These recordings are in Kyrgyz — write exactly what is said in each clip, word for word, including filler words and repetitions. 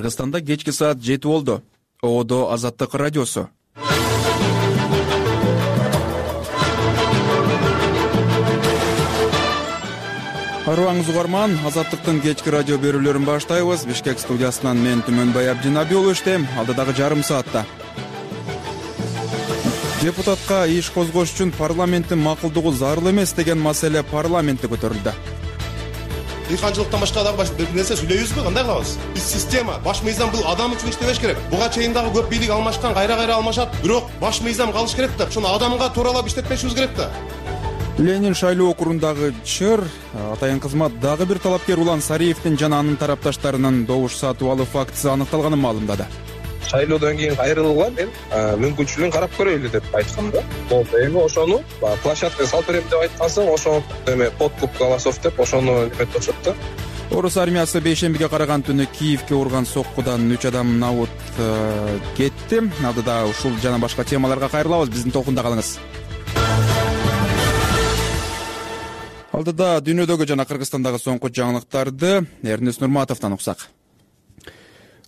Кыргызстанда кечки саат жети болду. Оодо Азаттык радиосу. Арыбаңыз угарман, Азаттыктын кечки радио берүүлөрүн баштайбыз. Бишкек студиясынан мен Түмөнбай Абдинабиулу иштейм. Алдыдагы жарым саатта депутатка иш козгош үчүн парламенттин макулдугу зарыл эмес деген маселе парламентте көтөрүлдү. Дыйканчылыктан башка дагы бир нерсе сүйлөйбүзбү? Кандай кылабыз? Биз система, баш мыйзам бул адам үчүн иштебеш керек. Буга чейин дагы көп бийлик алмашкан, кайра-кайра алмашат. Бирок баш мыйзам калыш керек да, ошону адамга тууралап иштетпешибиз керек да. Ленин шайлоо округундагы чыр атайын кызмат дагы бир талапкер Улан Сариевдин жана анын тарапташтарынын добуш сатып алуу фактысы аныкталганын маалымдады. Шайлоодон кийин кайрылууга мен мүмкүнчүлүгүн карап көрөйлү деп айткам да. Болду, эми ошону площадкага салып берем деп айткансың, ошону эме подкуп голосов деп ошону неметип атышат да. Орус армиясы бейшембиге караган түнү Киевке урган соккудан үч адам набут кетти. Алдыда ушул жана башка темаларга кайрылабыз. Биздин толкунда калыңыз. Алдыда дүйнөдөгү жана Кыргызстандагы соңку жаңылыктарды Эрнест Нурматовдон уксак.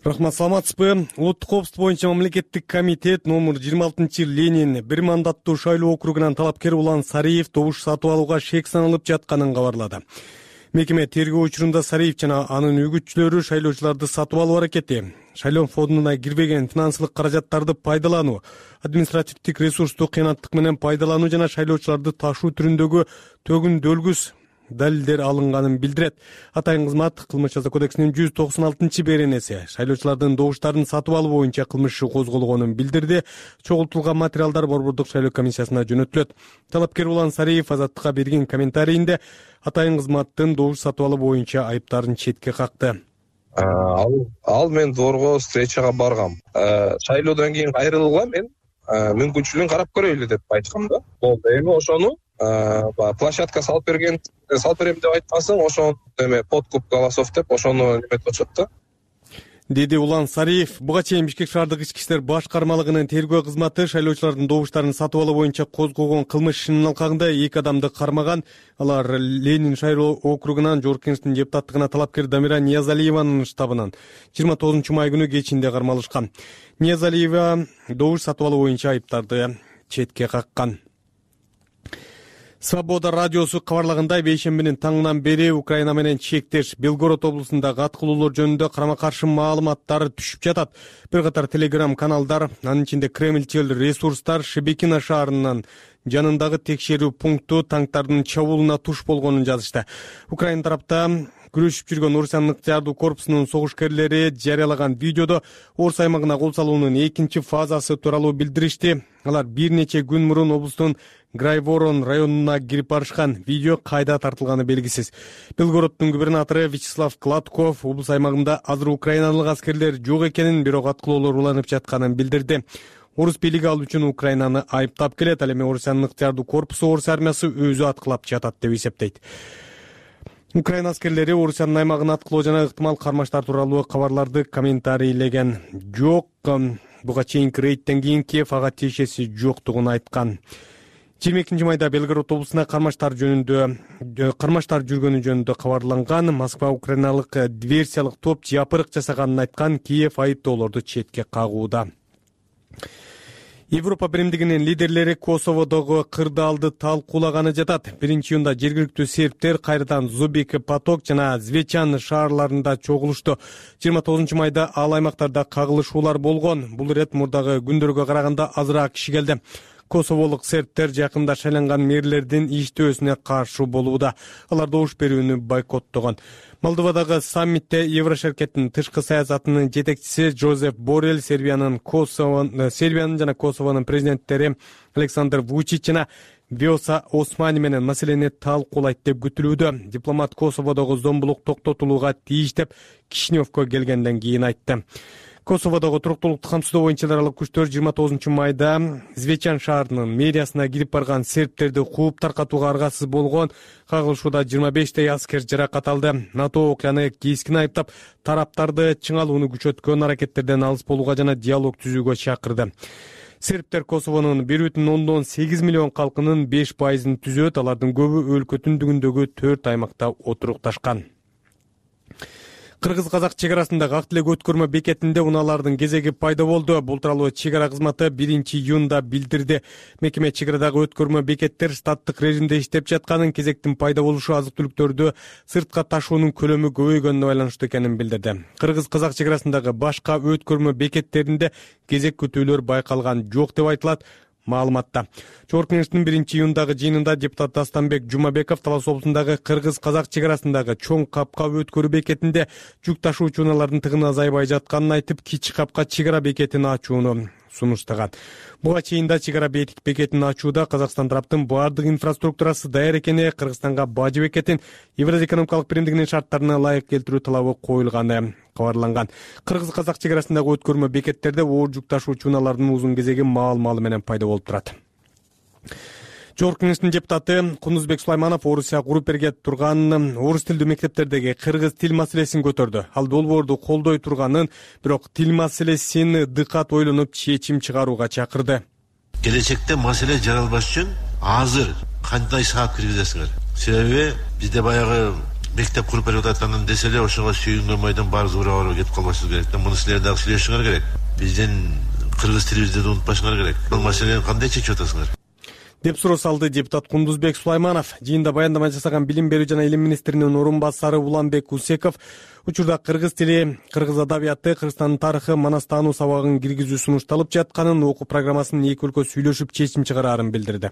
Рахмат, саламатсызбы? Улуттук коопсуздук боюнча мамлекеттик комитет номер жыйырма алтынчы Ленин бир мандаттуу шайлоо округунан талапкер Улан Сариев добуш сатып алууга шек саналып жатканын кабарлады. Мекеме тергөө учурунда Сариев жана анын үгүтчүлөрү шайлоочуларды сатып алуу аракети, шайлоо фондуна кирбеген финансылык каражаттарды пайдалануу, административдик ресурсту кыянаттык менен пайдалануу жана шайлоочуларды ташуу түрүндөгү төгүндөлгүс далилдер алынганын билдирет. Атайын кызмат кылмыш жаза кодексинин жүз токсон алтынчы беренеси шайлоочулардын добуштарын сатып алуу боюнча кылмыш иши козголгонун билдирди. Чогултулган материалдар Борбордук шайлоо комиссиясына жөнөтүлөт. Талапкер Улан Сариев Азаттыкка берген комментарийинде атайын кызматтын добуш сатып алуу боюнча айыптарын четке какты. Ал, ал мен дорго встречага баргам. Шайлоодон кийин кайрылууга мен мүмкүнчүлүгүн карап көрөйлү деп айткам да. Болду, эми ошону площадкага салып берген салып берем деп айткансың, ошону эме подкуп голосов деп ошону неметип атышат да. Деди Улан Сариев. Буга чейин Бишкек шаардык ички иштер башкармалыгынын тергөө кызматы шайлоочулардын добуштарын сатып алуу боюнча козгогон кылмыш ишинин алкагында эки адамды кармаган. Алар Ленин шайлоо округунан Жогорку Кеңештин депутаттыгына талапкер Дамира Ниязалиеванын штабынан жыйырма тогузунчу май күнү кечинде кармалышкан. Ниязалиева добуш сатып алуу боюнча айыптарды четке каккан. Свобода радиосу кабарлагандай, бейшембинин таңынан бери Украина менен чектеш Белгород облусундагы аткылуулор жөнүндө карама-каршы маалыматтар түшүп жатат. Бир катар телеграм каналдар, анын ичинде Кремльчил ресурстар Шебекино шаарынын жанындагы текшерүү пункту танктардын чабуулуна туш болгонун жазышты. Украина тарапта күрөшүп жүргөн Орусиянын ыктыярдуу корпусунун согушкерлери жарыялаган видеодо Орус аймагына кол салуунун экинчи фазасы тууралуу билдиришти. Алар бир нече күн мурун облустун Грайворон районуна кирип барышкан. Видео кайда тартылганы белгисиз. Белгороддун губернатору Вячеслав Кладков облус аймагында азыр украиналык аскерлер жок экенин, бирок аткылоолор уланып жатканын билдирди. Орус бийлиги ал үчүн Украинаны айыптап келет. Ал эми Орусиянын ыктыярдуу корпусу Орус армиясы өзү аткылап жатат деп эсептейт. Украина аскерлери Орусиянын аймагына аткылоо жана ыктымал кармаштар тууралуу кабарларды комментарийлеген жок. Буга чейинки рейдтен кийин Киев ага тиешеси жоктугун айткан. жыйырма экинчи майда Белгород облусуна кармаштар жөнүндө кармаштар жүргөнү жөнүндө кабарланган. Москва украиналык диверсиялык топ жапырык жасаганын айткан. Киев айыптоолорду четке кагууда. Европа биримдигинин лидерлери Косоводогу кырдаалды талкуулаганы жатат. Биринчи июнда жергиликтүү сербтер кайрадан Зубик, Поток жана Звечан шаарларында чогулушту. жыйырма тогузунчу майда ал аймактарда кагылышуулар болгон. Бул ирет мурдагы күндөргө караганда азыраак киши келди. Косоволук сербтер жакында шайланган мэрлердин иштөөсүнө каршы болууда. Алар добуш берүүнү бойкоттогон. Молдовадагы саммитте Еврошеркеттин тышкы саясатынын жетекчиси Жозеф Боррелл Сербиянын Косово, Сербиянын жана Косовонун президенттери Александр Вучич жана Виоса Османи менен маселени талкуулайт деп күтүлүүдө. Дипломат Косоводогу зомбулук токтотулууга тийиш деп Кишиневко келгенден кийин айтты. Косоводогу туруктуулукту камсыздоо боюнча эл аралык күчтөр жыйырма тогузунчу майда Звечан шаарынын мэриясына кирип барган сербтерди кууп таркатууга аргасыз болгон. Кагылышууда жыйырма бештей аскер жаракат алды. НАТО окуяны кескин айыптап, тараптарды чыңалууну күчөткөн аракеттерден алыс болууга жана диалог түзүүгө чакырды. Сербтер Косовонун бир бүтүн ондон сегиз миллион калкынын беш пайызын түзөт. Алардын көбү өлкө түндүгүндөгү төрт аймакта отурукташкан. Кыргыз-казак чек арасындагы ак тилек өткөрмө бекетинде унаалардын кезеги пайда болду. Бул тууралуу чек ара кызматы биринчи июнда билдирди. Мекеме чек арадагы өткөрмө бекеттер штаттык режимде иштеп жатканын, кезектин пайда болушу азык-түлүктөрдү сыртка ташуунун көлөмү көбөйгөнүнө байланыштуу экенин билдирди. Кыргыз-казак чек арасындагы башка өткөрмө бекеттеринде кезек күтүүлөр байкалган жок деп айтылат маалыматта. Жогорку Кеңештин биринчи июндагы жыйынында депутат Дастанбек Жумабеков Талас облусундагы Кыргыз-казак чек арасындагы чоң капка өткөрүү бекетинде жүк ташуучу унаалардын тыгыны азайбай жатканын айтып, кичи капка чек ара бекетин ачууну сунуштаган. Буга чейин да чек ара бекетин ачууда Казакстан тараптын баардык инфраструктурасы даяр экени, Кыргызстанга бажы бекетин Евразия экономикалык биримдигинин шарттарына ылайык келтирүү талабы коюлганы кабарланган. Кыргыз-казак чек арасындагы өткөрмө бекеттерде оор жүк ташуучу унаалардын узун кезеги маал-маалы менен пайда болуп турат. Жогорку Кеңештин депутаты Кундузбек Сулайманов Орусия куруп берге турган орус тилдүү мектептердеги кыргыз тил маселесин көтөрдү. Ал долбоорду колдой турганын, бирок тил маселесин дыкат ойлонуп чечим чыгарууга чакырды. Келечекте маселе жаралбаш үчүн азыр кандай саат киргизесиңер? Себеби бизде баягы мектеп куруп берип ататканын десе эле ошого сүйүнгөн майдан баары зуура кетип калбашыбыз керек. Муну силер дагы сүйлөшүңөр керек. Биздин кыргыз тилибизди да унутпашыңар керек. Бул маселени кандай чечип атасыңар? деп суроо салды депутат Кундузбек Сулайманов. Жыйында баяндама жасаган Билим берүү жана илим министринин орун басары Уланбек Усеков учурда кыргыз тили, кыргыз адабияты, Кыргызстандын тарыхы, манастануу сабагын киргизүү сунушталып жатканын, окуу программасынын эки өлкө сүйлөшүп чечим чыгарарын билдирди.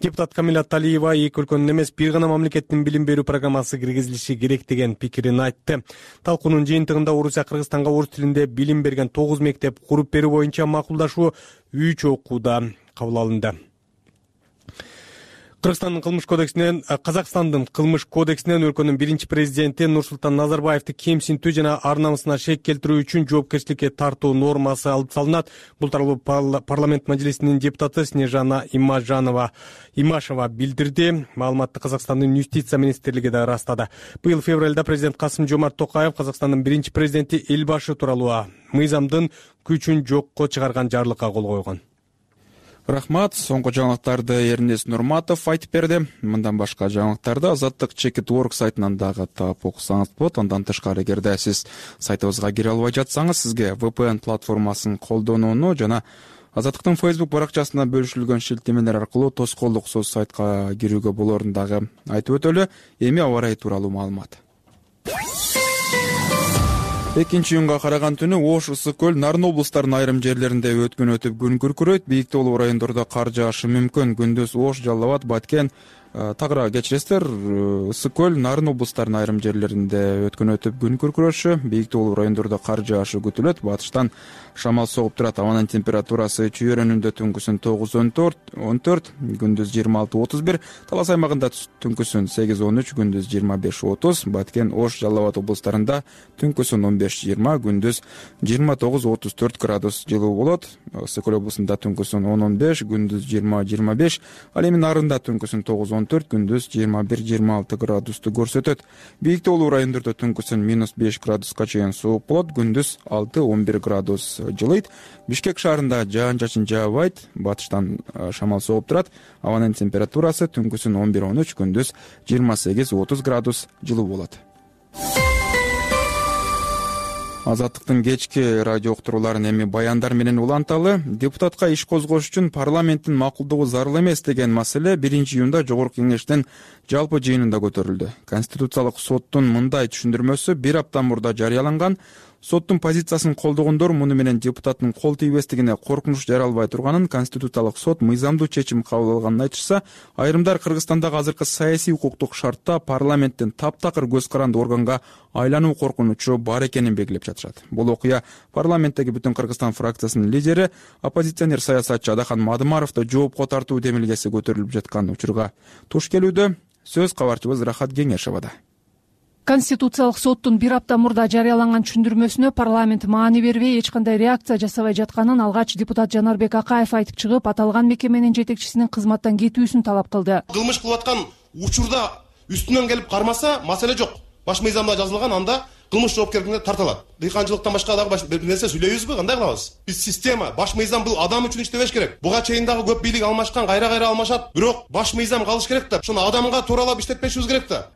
Депутат Камила Талиева эки өлкөнүн эмес, бир гана мамлекеттин билим берүү программасы киргизилиши керек деген пикирин айтты. Талкуунун жыйынтыгында Орусия Кыргызстанга орус тилинде билим берген тогуз мектеп куруп берүү боюнча макулдашуу үч окууда кабыл алынды. Кыргызстандын кылмыш кодексинен, Казакстандын кылмыш кодексинен өлкөнүн биринчи президенти Нурсултан Назарбаевди кемсинтүү жана ар намысына шек келтирүү үчүн жоопкерчиликке тартуу нормасы алып салынат. Бул тууралуу парламент мажлисинин депутаты Снежана Имажанова Имашева билдирди. Маалыматты Казакстандын юстиция министрлиги да ырастады. Быйыл февралда президент Касым-Жомарт Токаев Казакстандын биринчи президенти Элбашы тууралуу мыйзамдын күчүн жокко чыгарган жарлыкка кол койгон. Рахмат. Соңку жаңылыктарды Эрнест Нурматов айтып берди. Мындан башка жаңылыктарды Азаттык Чекит Орг сайтынан дагы таап окусаңыз болот. Андан тышкары, эгерде сиз сайтыбызга кире албай жатсаңыз, сизге ви пи эн платформасын колдонууну жана Азаттыктын Facebook баракчасына бөлүшүлгөн шилтемелер аркылуу тоскоолдуксуз сайтка кирүүгө болорун дагы айтып өтөлү. Эми аба ырайы тууралуу маалымат. экинчи июнга караган түнү Ош, Ысык көл, Нарын облустарынын айрым жерлеринде өткөн өтүп күн күркүрөйт. Бийик тоолуу райондордо кар жаашы мүмкүн. Күндүз Ош, Жалал Абад, Баткен, Тагыра кечиресиздер, Ысык көл, Нарын облустарынын айрым жерлеринде өткөн өтүп күн күркүрөшү. Бийик тоолуу райондордо кар жаашы күтүлөт. Батыштан шамал согуп турат. Абанын температурасы чүйөрөнүндө түнкүсүн тогуз он төрт, күндүз жыйырма алты отуз бир, Талас аймагында түнкүсүн сегиз он үч, күндүз жыйырма беш отуз, Баткен, Ош, Жалал Абад облустарында түнкүсүн он беш жыйырма, күндүз жыйырма тогуз отуз төрт градус жылуу болот. Ысык көл облусунда түнкүсүн он он беш, күндүз жыйырма жыйырма беш, ал эми Нарында түнкүсүн тогуз он төрт, күндүз жыйырма бир жыйырма алты градусту көрсөтөт. Бийик тоолуу райондордо түнкүсүн минус беш градуска чейин суук болот, күндүз алты он бир градус жылыйт. Бишкек шаарында жаан-чачын жаабайт, батыштан шамал согуп турат. Абанын температурасы түнкүсүн он бир он үч, күндүз жыйырма сегиз отуз градус жылуу болот. Азаттыктын кечки радио уктурууларын эми баяндар менен уланталы. Депутатка иш козгош үчүн парламенттин макулдугу зарыл эмес деген маселе биринчи июнда Жогорку Кеңештин жалпы жыйынында көтөрүлдү. Конституциялык соттун мындай түшүндүрмөсү бир апта мурда жарыяланган. Соттун позициясын колдогондор муну менен депутаттын кол тийбестигине коркунуч жаралбай турганын, Конституциялык сот мыйзамдуу чечим кабыл алганын айтышса, айрымдар Кыргызстандагы азыркы саясий укуктук шартта парламенттин таптакыр көз каранды органга айлануу коркунучу бар экенин белгилеп жатышат. Бул окуя парламенттеги Бүтүн Кыргызстан фракциясынын лидери, оппозиционер саясатчы Адахан Мадымаровду жоопко тартуу демилгеси көтөрүлүп жаткан учурга туш келүүдө. Сөз кабарчыбыз Рахат Кеңешевада. Конституциялык соттун бир апта мурда жарыяланган түшүндүрмөсүнө парламент маани бербей, эч кандай реакция жасабай жатканын алгач депутат Жанарбек Акаев айтып чыгып, аталган мекеменин жетекчисинин кызматтан кетүүсүн талап кылды. Кылмыш кылып аткан учурда үстүнөн келип кармаса, маселе жок. Баш мыйзамда жазылган, анда кылмыш жоопкердигине тартылат. Дыйканчылыктан башка дагы бир нерсе сүйлөйбүзбү? Кандай кылабыз? Биз система, баш мыйзам бул адам үчүн иштебеш керек. Буга чейин дагы көп бийлик алмашкан, кайра-кайра алмашат. Бирок баш мыйзам калыш керек да, ошону адамга тууралап иштетпешибиз керек да.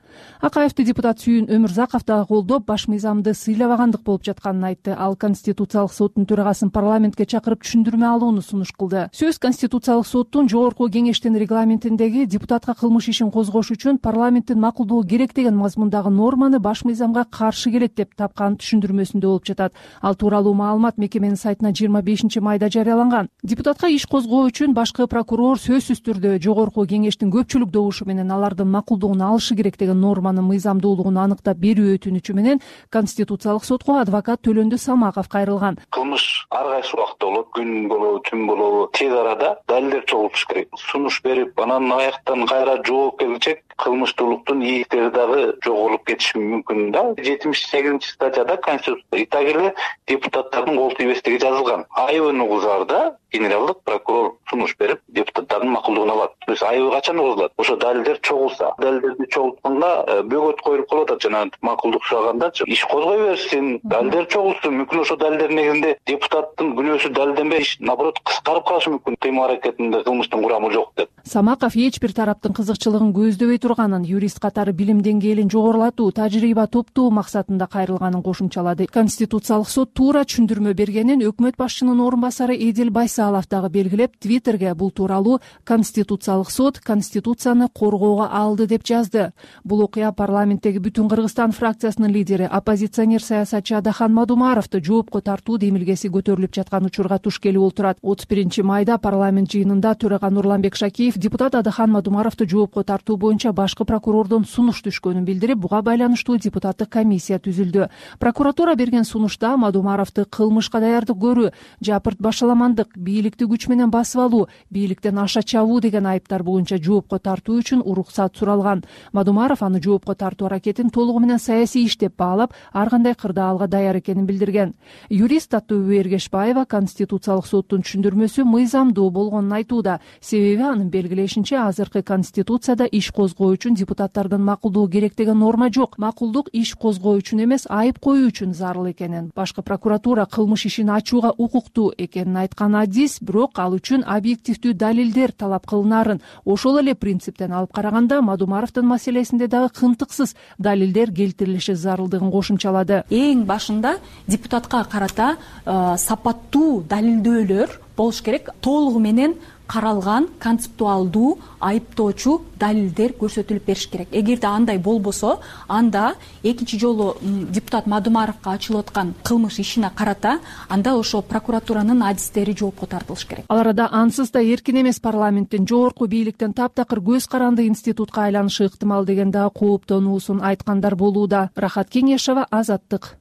Акаевди депутат Сүйүн Өмүрзаков дагы колдоп, баш мыйзамды сыйлабагандык болуп жатканын айтты. Ал Конституциялык соттун төрагасын парламентке чакырып түшүндүрмө алууну сунуш кылды. Сөз Конституциялык соттун жогорку кеңештин регламентиндеги депутатка кылмыш ишин козгош үчүн парламенттин макулдугу керек деген мазмундагы норманы баш мыйзамга каршы келет деп тапкан түшүндүрмөсүндө болуп жатат. Ал тууралуу маалымат мекеменин сайтына жыйырма бешинчи майда жарыяланган. Депутатка иш козгоо үчүн башкы прокурор сөзсүз түрдө жогорку кеңештин көпчүлүк добушу менен алардын макулдугун алышы керек деген норманын мыйзамдуулугун аныктап берүү өтүнүчү менен Конституциялык сотко адвокат Төлөндү Самаков кайрылган. Кылмыш ар кайсы убакта болот, күн болобу, түн болобу, тез арада далилдер чогултуш керек. Сунуш берип, анан аяктан кайра жооп келчек кылмыштуулуктун ийгиликтери дагы жогорулуп кетиши мүмкүн да. жетимиш сегизинчи статьяда Конституцияда так эле депутаттардын кол тийбестиги жазылган. Айыбын угузаарда генералдык прокурор сунуш берип, депутаттардын макулдугун алат. То есть айыбы качан угузулат? Ошо далилдер чогулса. Далилдерди чогултканда бөгөт коюлуп калып атат. Жана макулдук сурагандачы иш козгой берсин, далилдер чогулсун. Мүмкүн ошо далилдердин негизинде депутаттын күнөөсү далилденбей, иш наоборот кыскарып калышы мүмкүн. Кыймыл аракетинде кылмыштын курамы жок деп. Самаков эч бир тараптын кызыкчылыгын көздөбөй турганын, юрист катары билим деңгээлин жогорулатуу, тажрыйба топтоо максатында кайрылганын кошумчалады. Конституциялык сот туура түшүндүрмө бергенин өкмөт башчынын орун басары Эдил Байсалов дагы белгилеп, Твиттерге бул тууралуу Конституциялык сот Конституцияны коргоого алды деп жазды. Бул окуя парламенттеги Бүтүн Кыргызстан фракциясынын лидери, оппозиционер саясатчы Адахан Мадумаровду жоопко тартуу демилгеси көтөрүлүп жаткан учурга туш келип отурат. отуз биринчи майда парламент жыйынында төрага Нурланбек Шакиев депутат Адахан Мадумаровду жоопко тартуу боюнча башкы прокурордон сунуш түшкөнүн билдирип, буга байланыштуу депутаттык комиссия түзүлдү. Прокуратура берген сунушта Мадумаровду кылмышка даярдык көрүү, жапырт башаламандык, бийликти күч менен басып алуу, бийликтен аша чабуу деген айыптар боюнча жоопко тартуу үчүн уруксат суралган. Мадумаров аны жоопко тартуу аракетин толугу менен саясий иш деп баалап, ар кандай кырдаалга даяр экенин билдирген. Юрист Таттыбү Эргешбаева Конституциялык соттун түшүндүрмөсү мыйзамдуу болгонун айтууда. Себеби анын белгилешинче азыркы Конституцияда иш козгоо үчүн депутаттардын макулдугу керек деген норма жок. Макулдук иш козгоо үчүн эмес, айып коюу үчүн зарыл экенин, башкы прокуратура кылмыш ишин ачууга укуктуу экенин айткан адис, бирок ал үчүн объективдүү далилдер талап кылынарын, ошол эле принциптен алып караганда Мадумаровдун маселесинде дагы кымтыксыз далилдер келтирилиши зарылдыгын кошумчалады. Эң башында депутатка карата сапаттуу далилдөөлөр болуш керек, толугу менен каралган концептуалдуу айыптоочу далилдер көрсөтүлүп бериш керек. Эгерде андай болбосо, анда экинчи жолу депутат Мадумаровго ачылып аткан кылмыш ишине карата анда ошо прокуратуранын адистери жоопко тартылыш керек. Ал арада ансыз да эркин эмес парламенттин жогорку бийликтен таптакыр көз каранды институтка айланышы ыктымал деген дагы кооптонуусун айткандар болууда. Рахат Кеңешева, Азаттык.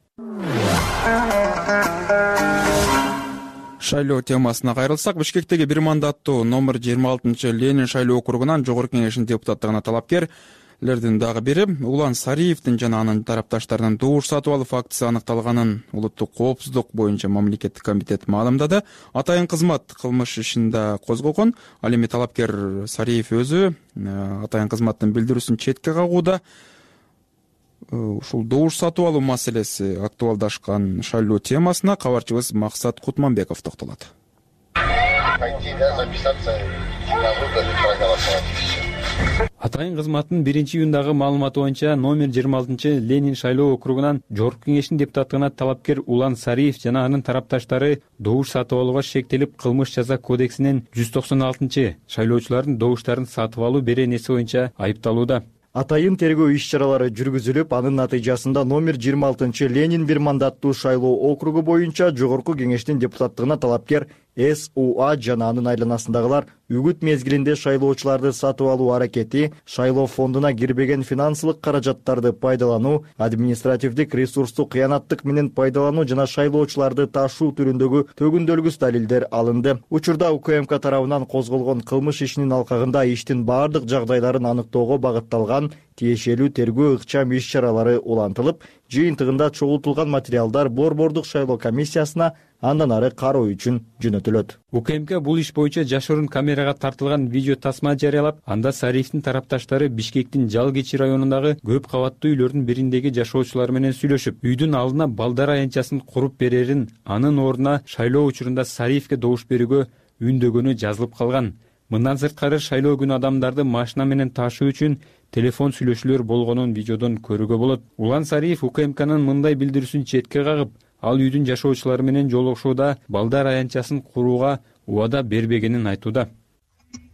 Шайлоо темасына кайрылсак, Бишкектеги бир мандаттуу номер жыйырма алтынчы Ленин шайлоо округунан жогорку кеңештин депутаттыгына талапкерлердин дагы бири Улан Сариевдин жана анын тарапташтарынын добуш сатып алуу фактысы аныкталганын улуттук коопсуздук боюнча мамлекеттик комитет маалымдады. Атайын кызмат кылмыш ишинде козгогон. Ал эми талапкер Сариев өзү атайын кызматтын билдирүүсүн четке кагууда. Ушул добуш сатып алуу маселеси актуалдашкан шайлоо темасына кабарчыбыз Максат Кутманбеков токтолот. Атайын кызматтын биринчи июндагы маалыматы боюнча номер жыйырма алтынчы Ленин шайлоо округунан жогорку кеңештин депутаттыгына талапкер Улан Сариев жана анын тарапташтары добуш сатып алууга шектелип, кылмыш жаза кодексинин жүз токсон алтынчы шайлоочулардын добуштарын сатып алуу беренеси боюнча айыпталууда. Атайын тергөө иш-чаралары жүргүзүлүп, анын натыйжасында номер жыйырма алтынчы Ленин бир мандаттуу шайлоо округу боюнча жогорку кеңештин депутаттыгына талапкер эс у а жана анын айланасындагылар үгүт мезгилинде шайлоочуларды сатып алуу аракети, шайлоо фондуна кирбеген финансылык каражаттарды пайдалануу, административдик ресурсту кыянаттык менен пайдалануу жана шайлоочуларды ташуу түрүндөгү төгүндөлгүс далилдер алынды. Учурда у к м к тарабынан козголгон кылмыш ишинин алкагында иштин бардык жагдайларын аныктоого багытталган тиешелүү тергөө ыкчам иш-чаралары улантылып, жыйынтыгында чогултулган материалдар Борбордук шайлоо комиссиясына андан ары кароо үчүн жөнөтүлөт. у к м к бул иш боюнча жашыруун камерага тартылган видео тасма жарыялап, анда Сариевдин тарапташтары Бишкектин Жалгечи районундагы көп кабаттуу үйлөрдүн бириндеги жашоочулар менен сүйлөшүп, үйдүн алдына балдар аянтчасын куруп берерин, анын ордуна шайлоо учурунда Сариевге добуш берүүгө үндөгөнү жазылып калган. Мындан сырткары шайлоо күнү адамдарды машина менен ташуу үчүн телефон сүйлөшүүлөр болгонун видеодон көрүүгө болот. Улан Сариев УКМКнын мындай билдирүүсүн четке кагып, ал үйдүн жашоочулары менен жолугушууда балдар аянтчасын курууга убада бербегенин айтууда.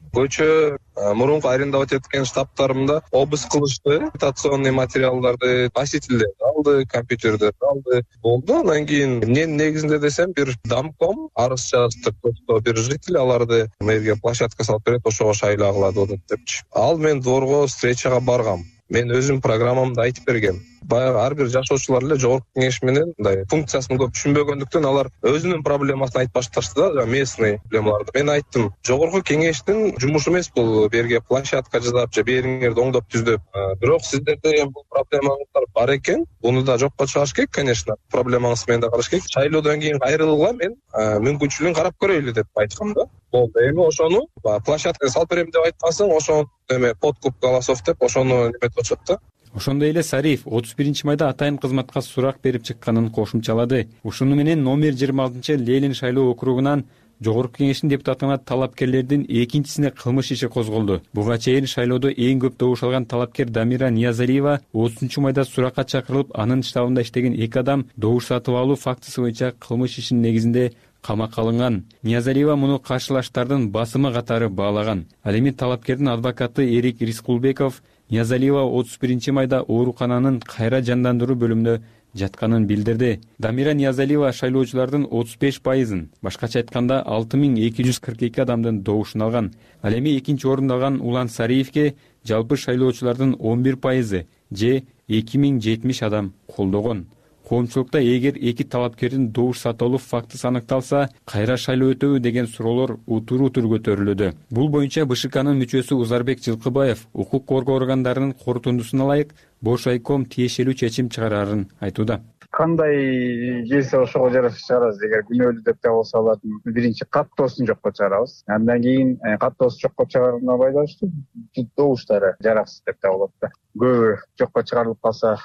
Көчө мурунку арендовать эткен штабтарымда обыск кылышты, агитационный материалдарды, носительдерди алды, компьютерди алды. Болду. Андан кийин эмненин негизинде десем, бир домком арыз жазды, что бир житель аларды мэрге площадка салып берет, ошого шайлоо кылады депчи. Ал мен дворго встречага баргам. Мен өзүм программамда айтып бергем. Баягы ар бир жашоочулар эле жогорку кеңеш менен мындай функциясын көп түшүнбөгөндүктөн алар өзүнүн проблемасын айтып башташты да, местный проблемаларды. Мен айттым, жогорку кеңештин жумушу эмес бул берге площадка жасап же бериңерди оңдоп түздөп. Бирок сиздерде эми бул проблемаңыздар бар экен. Буну да жокко чыгарыш керек, конечно. Проблемаңыз менен да караш керек. Шайлоодон кийин кайрылгыла мен мүмкүнчүлүгүн карап көрөйлү деп айткам да. Болду. Эми ошону площадка салып берем деп айткансың, ошону эме подкуп голосов деп ошону неметип атышат да. Ошондой эле Сариев отуз биринчи майда атайын кызматка сурак берип чыкканын кошумчалады. Ушуну менен номер жыйырма алтынчы Ленин шайлоо округунан жогорку кеңештин депутатына талапкерлердин экинчисине кылмыш иши козголду. Буга чейин шайлоодо эң көп добуш алган талапкер Дамира Ниязалиева отузунчу майда суракка чакырылып, анын штабында иштеген эки адам добуш сатып алуу фактысы боюнча кылмыш ишинин негизинде камакка алынган. Ниязалиева муну каршылаштардын басымы катары баалаган. Ал эми талапкердин адвокаты Эрик Рискулбеков Ниязалиева отуз биринчи майда оорукананын кайра жандандыруу бөлүмүндө жатканын билдирди. Дамира Ниязалиева шайлоочулардын отуз беш пайызын, башкача айтканда алты миң эки жүз кырк эки адамдын добушун алган. Ал эми экинчи орунду алган Улан Сариевке жалпы шайлоочулардын он бир пайызы же эки миң жетимиш адам колдогон. Коомчулукта эгер эки талапкердин добуш сатып алуу фактысы аныкталса, кайра шайлоо өтөбү деген суроолор утур-утур көтөрүлүүдө. Бул боюнча БШКнын мүчөсү Узарбек Жылкыбаев укук коргоо органдарынын корутундусуна ылайык Бош айком тиешелүү чечим чыгарарын айтууда. Кандай келсе ошого жараша чыгарабыз. Эгер күнөөлүү деп табылса алатын биринчи каттоосун жокко чыгарабыз. Андан кийин каттоосу жокко чыгарууна байланыштуу добуштары жараксыз деп табылат да. Көбү жокко чыгарылып калса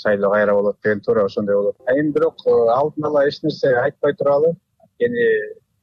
шайлоо кайра болот деген туура ошондой болот. Эми бирок алдын ала эч нерсе айтпай туралы, анткени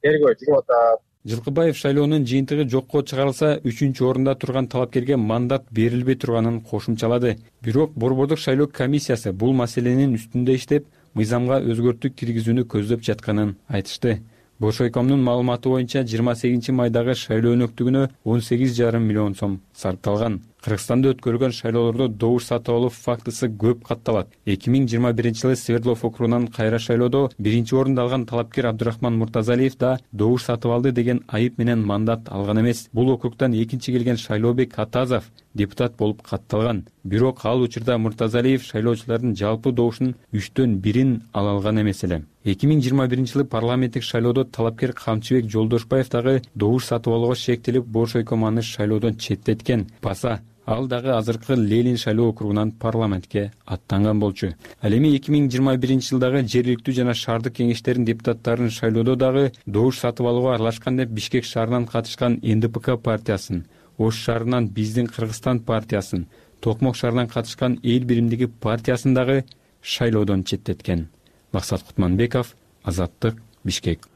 тергөө жүрүп атат. Жылкыбаев шайлоонун жыйынтыгы жокко чыгарылса, үчүнчү орунда турган талапкерге мандат берилбей турганын кошумчалады. Бирок Борбордук шайлоо комиссиясы бул маселенин үстүндө иштеп, мыйзамга өзгөртүү киргизүүнү көздөп жатканын айтышты. Бош айкомдун маалыматы боюнча жыйырма сегизинчи майдагы шайлоо өнөктүгүнө он сегиз жарым миллион сом сарпталган. Кыргызстанда өткөрүлгөн шайлоолордо добуш сатып алуу фактысы көп катталат. эки миң жыйырма биринчи жылы Свердлов округунан кайра шайлоодо биринчи орунду алган талапкер Абдурахман Муртазалиев да добуш сатып алды деген айып менен мандат алган эмес. Бул округдан экинчи келген Шайлообек Атазов депутат болуп катталган. Бирок ал учурда Муртазалиев шайлоочулардын жалпы добушунун үчтөн бирин ала алган эмес эле. эки миң жыйырма биринчи жылы парламенттик шайлоодо талапкер Камчыбек Жолдошбаев дагы добуш сатып алууга шектелип, Бош айком аны шайлоодон четтеткен. Баса ал дагы азыркы Ленин шайлоо округунан парламентке аттанган болчу. Ал эми эки миң жыйырма биринчи жылдагы жергиликтүү жана шаардык кеңештердин депутаттарын шайлоодо дагы добуш сатып алууга аралашкан деп Бишкек шаарынан катышкан Эн Дэ Пэ Ка партиясын, Ош шаарынан Биздин Кыргызстан партиясын, Токмок шаарынан катышкан Эл биримдиги партиясын дагы шайлоодон четтеткен. Максат Кутманбеков, Азаттык, Бишкек.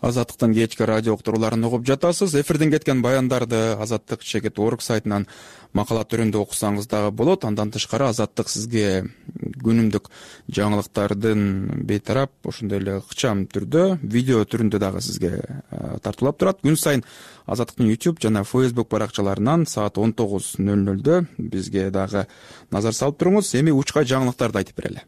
Азаттыктан кечки радио уктурууларын угуп жатасыз. Эфирден кеткен баяндарды Азаттык чекит орг сайтынан макала түрүндө окусаңыз дагы болот. Андан тышкары Азаттык сизге күнүмдүк жаңылыктардын бейтарап, ошондой эле ыкчам түрдө, видео түрүндө дагы сизге тартуулап турат. Күн сайын Азаттыктын YouTube жана Facebook баракчаларынан саат он тогуз ноль нольдө бизге дагы назар салып туруңуз. Эми учка жаңылыктарды айтып берели.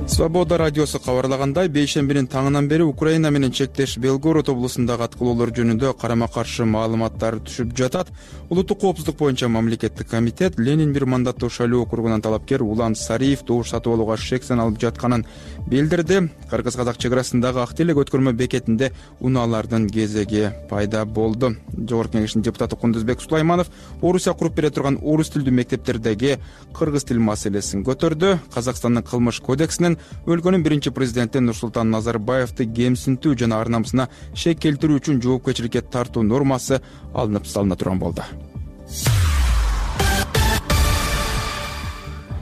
Свобода радиосу кабарлагандай, бейшембинин таңынан бери Украина менен чектеш Белгород облусундагы аткылоолор жөнүндө карама-каршы маалыматтар түшүп жатат. Улуттук коопсуздук боюнча мамлекеттик комитет Ленин бир мандаттуу шайлоо округунан талапкер Улан Сариев добуш сатып алууга шек саналып жатканын билдирди. Кыргыз-казак чек арасындагы Ак Телек өткөрмө бекетинде унаалардын кезеги пайда болду. Жогорку кеңештин депутаты Кундузбек Сулайманов Орусия куруп бере турган орус тилдүү мектептердеги кыргыз тил маселесин көтөрдү. Казакстандын кылмыш кодексинин өлкөнүн биринчи президенти Нурсултан Назарбаевди кемсинтүү жана ар намысына шек келтирүү үчүн жоопкерчиликке тартуу нормасы алынып салына турган болду.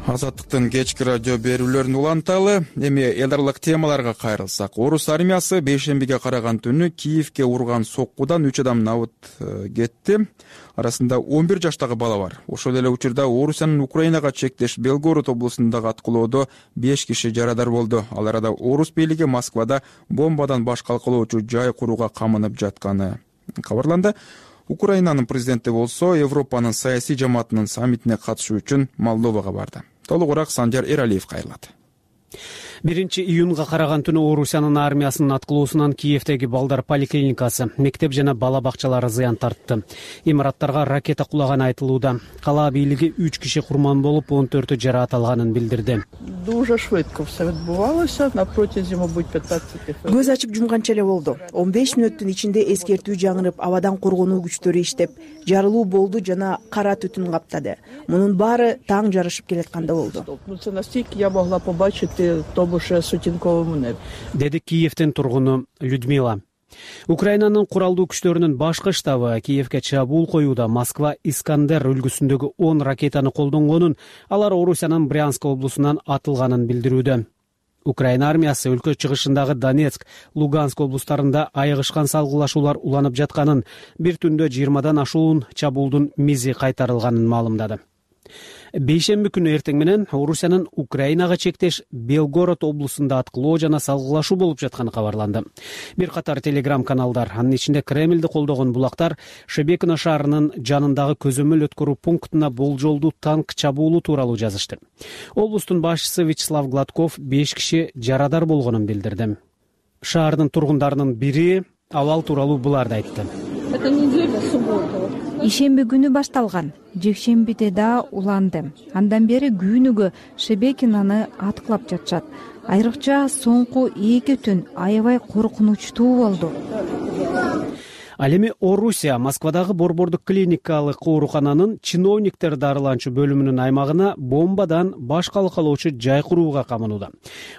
Азаттыктын кечки радио берүүлөрүн уланталы. Эми эл аралык темаларга кайрылсак, орус армиясы бейшембиге караган түнү Киевке урган соккудан үч адам набыт кетти. Арасында он бир жаштагы бала бар. Ошол эле учурда Орусиянын Украинага чектеш Белгород облусундагы аткылоодо беш киши жарадар болду. Ал арада орус бийлиги Москвада бомбадан баш калкалоочу жай курууга камынып жатканы кабарланды. Украинанын президенти болсо Европанын саясий жамаатынын саммитине катышуу үчүн Молдовага барды. Толугураак Санжар Эралиев кайрылат. биринчи июнга караган түнү Орусиянын армиясынын аткылоосунан Киевдеги балдар поликлиникасы, мектеп жана бала бакчалары зыян тартты. Имараттарга ракета кулаганы айтылууда. Кала бийлиги үч киши курман болуп, он төртү жараат алганын билдирди. Дуже швидко все відбувалося на протязі, мабуть, пятнадцати хвилин. Көз ачып жумганча эле болду. он беш мүнөттүн ичинде эскертүү жаңырып, абадан коргонуу күчтөрү иштеп, жарылуу болду жана кара түтүн каптады. Мунун баары таң жарышып келатканда болду. Це настільки я могла побачити тому ж сутінковому небі. Деди Киевдин тургуну Людмила. Украинанын куралдуу күчтөрүнүн башкы штабы Киевге чабуул коюуда Москва Искандер үлгүсүндөгү он ракетаны колдонгонун, алар Орусиянын Брянск облусунан атылганын билдирүүдө. Украина армиясы өлкө чыгышындагы Донецк, Луганск облустарында айыгышкан салгылашуулар уланып жатканын, бир түндө жыйырмадан ашуун чабуулдун мизи кайтарылганын маалымдады. Бейшемби күнү эртең менен Орусиянын Украинага чектеш Белгород облусунда аткылоо жана салгылашуу болуп жатканы кабарланды. Бир катар телеграм каналдар, анын ичинде Кремлди колдогон булактар, Шебекино шаарынын жанындагы көзөмөл өткөрүү пунктуна болжолдуу танк чабуулу тууралуу жазышты. Облустун башчысы Вячеслав Гладков беш киши жарадар болгонун билдирди. Шаардын тургундарынын бири абал тууралуу буларды айтты. Это неделя, суббота. Ишемби күнү башталган. Жекшембиде да уланды. Андан бери күнүгө Шебекинаны аткылап жатышат. Айрыкча соңку эки түн аябай коркунучтуу болду. Ал эми Орусия Москвадагы борбордук клиникалык оорукананын чиновниктер дарыланчу бөлүмүнүн аймагына бомбадан баш калкалоочу жай курууга камынууда.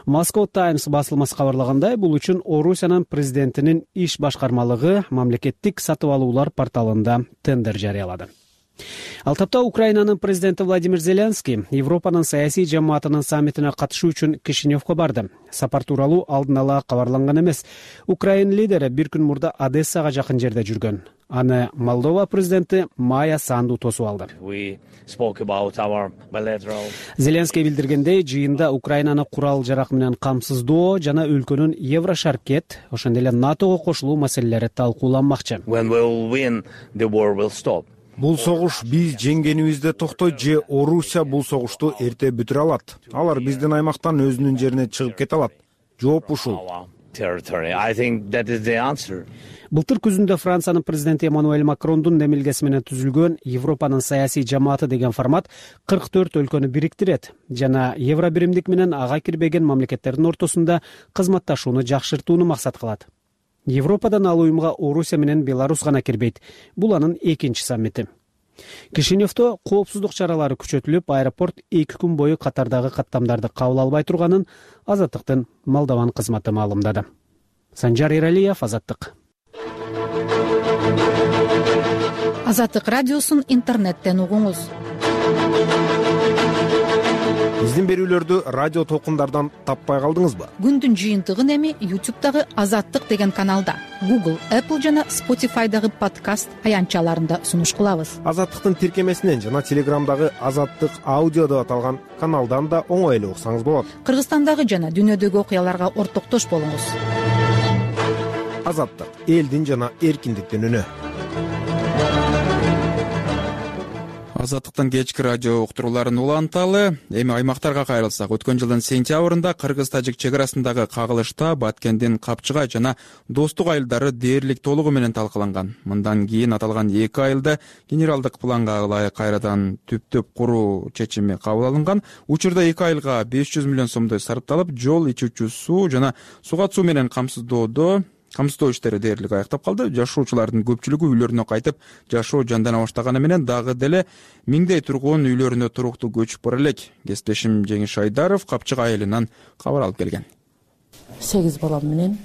Moscow Times басылмасы кабарлагандай, бул үчүн Орусиянын президентинин иш башкармалыгы мамлекеттик сатып алуулар порталында тендер жарыялады. Ал тапта Украинанын президенти Владимир Зеленский Европанын саясий жамаатынын саммитине катышуу үчүн Кишиневге барды. Сапар тууралуу алдын ала кабарланган эмес. Украин лидери бир күн мурда Одессага жакын жерде жүргөн. Аны Молдова президенти Майя Санду тосуп алды. Зеленский билдиргендей, жыйында Украинаны курал жарак менен камсыздоо жана өлкөнүн Еврошаркет, ошондой эле НАТОго кошулуу маселелери талкууланмакчы. Бул согуш биз жеңгенибизде токтойт же Орусия бул согушту эрте бүтүрө алат. Алар биздин аймактан өзүнүн жерине чыгып кете алат. Жооп ушул. Былтыр күзүндө Франциянын президенти Эммануэль Макрондун демилгеси менен түзүлгөн Европанын саясий жамааты деген формат кырк төрт өлкөнү бириктирет жана евро биримдик менен ага кирбеген мамлекеттердин ортосунда кызматташууну жакшыртууну максат кылат. Европадан ал уюмга Орусия менен Беларусь гана кирбейт. Бул анын экинчи саммити. Кишиневдо коопсуздук чаралары күчөтүлүп, аэропорт эки күн бою катардагы каттамдарды кабыл албай турганын Азаттыктын Молдован кызматы маалымдады. Санжар Эралиев, Азаттык. Азаттык радиосун интернеттен угуңуз. Биздин берүүлөрдү радио толкундардан таппай калдыңызбы? Күндүн жыйынтыгын эми YouTube'дагы Азаттык деген каналда, Google, Apple жана Spotify'дагы подкаст аянтчаларында сунуш кылабыз. Азаттыктын тиркемесинен жана Телеграмдагы Азаттык аудио деп аталган каналдан да оңой эле уксаңыз болот. Кыргызстандагы жана дүйнөдөгү окуяларга ортоктош болуңуз. Азаттык — элдин жана эркиндиктин үнү. Азаттыктын кечки радио уктурууларын уланталы. Эми аймактарга кайрылсак, өткөн жылдын сентябрында кыргыз-тажик чек арасындагы кагылышта Баткендин Капчыгай жана Достук айылдары дээрлик толугу менен талкаланган. Мындан кийин аталган эки айылда генералдык планга ылайык кайрадан түптөп куруу чечими кабыл алынган. Учурда эки айылга беш жүз миллион сомдой сарпталып, жол, ичүүчү суу жана суга суу менен камсыздоодо камсыздоо иштери дээрлик аяктап калды. Жашоочулардын көпчүлүгү үйлөрүнө кайтып, жашоо жандана баштаганы менен дагы деле миңдей тургун үйлөрүнө туруктуу көчүп бара элек. Кесиптешим Жеңиш Айдаров Капчыгай айылынан кабар алып келген. сегиз балам менен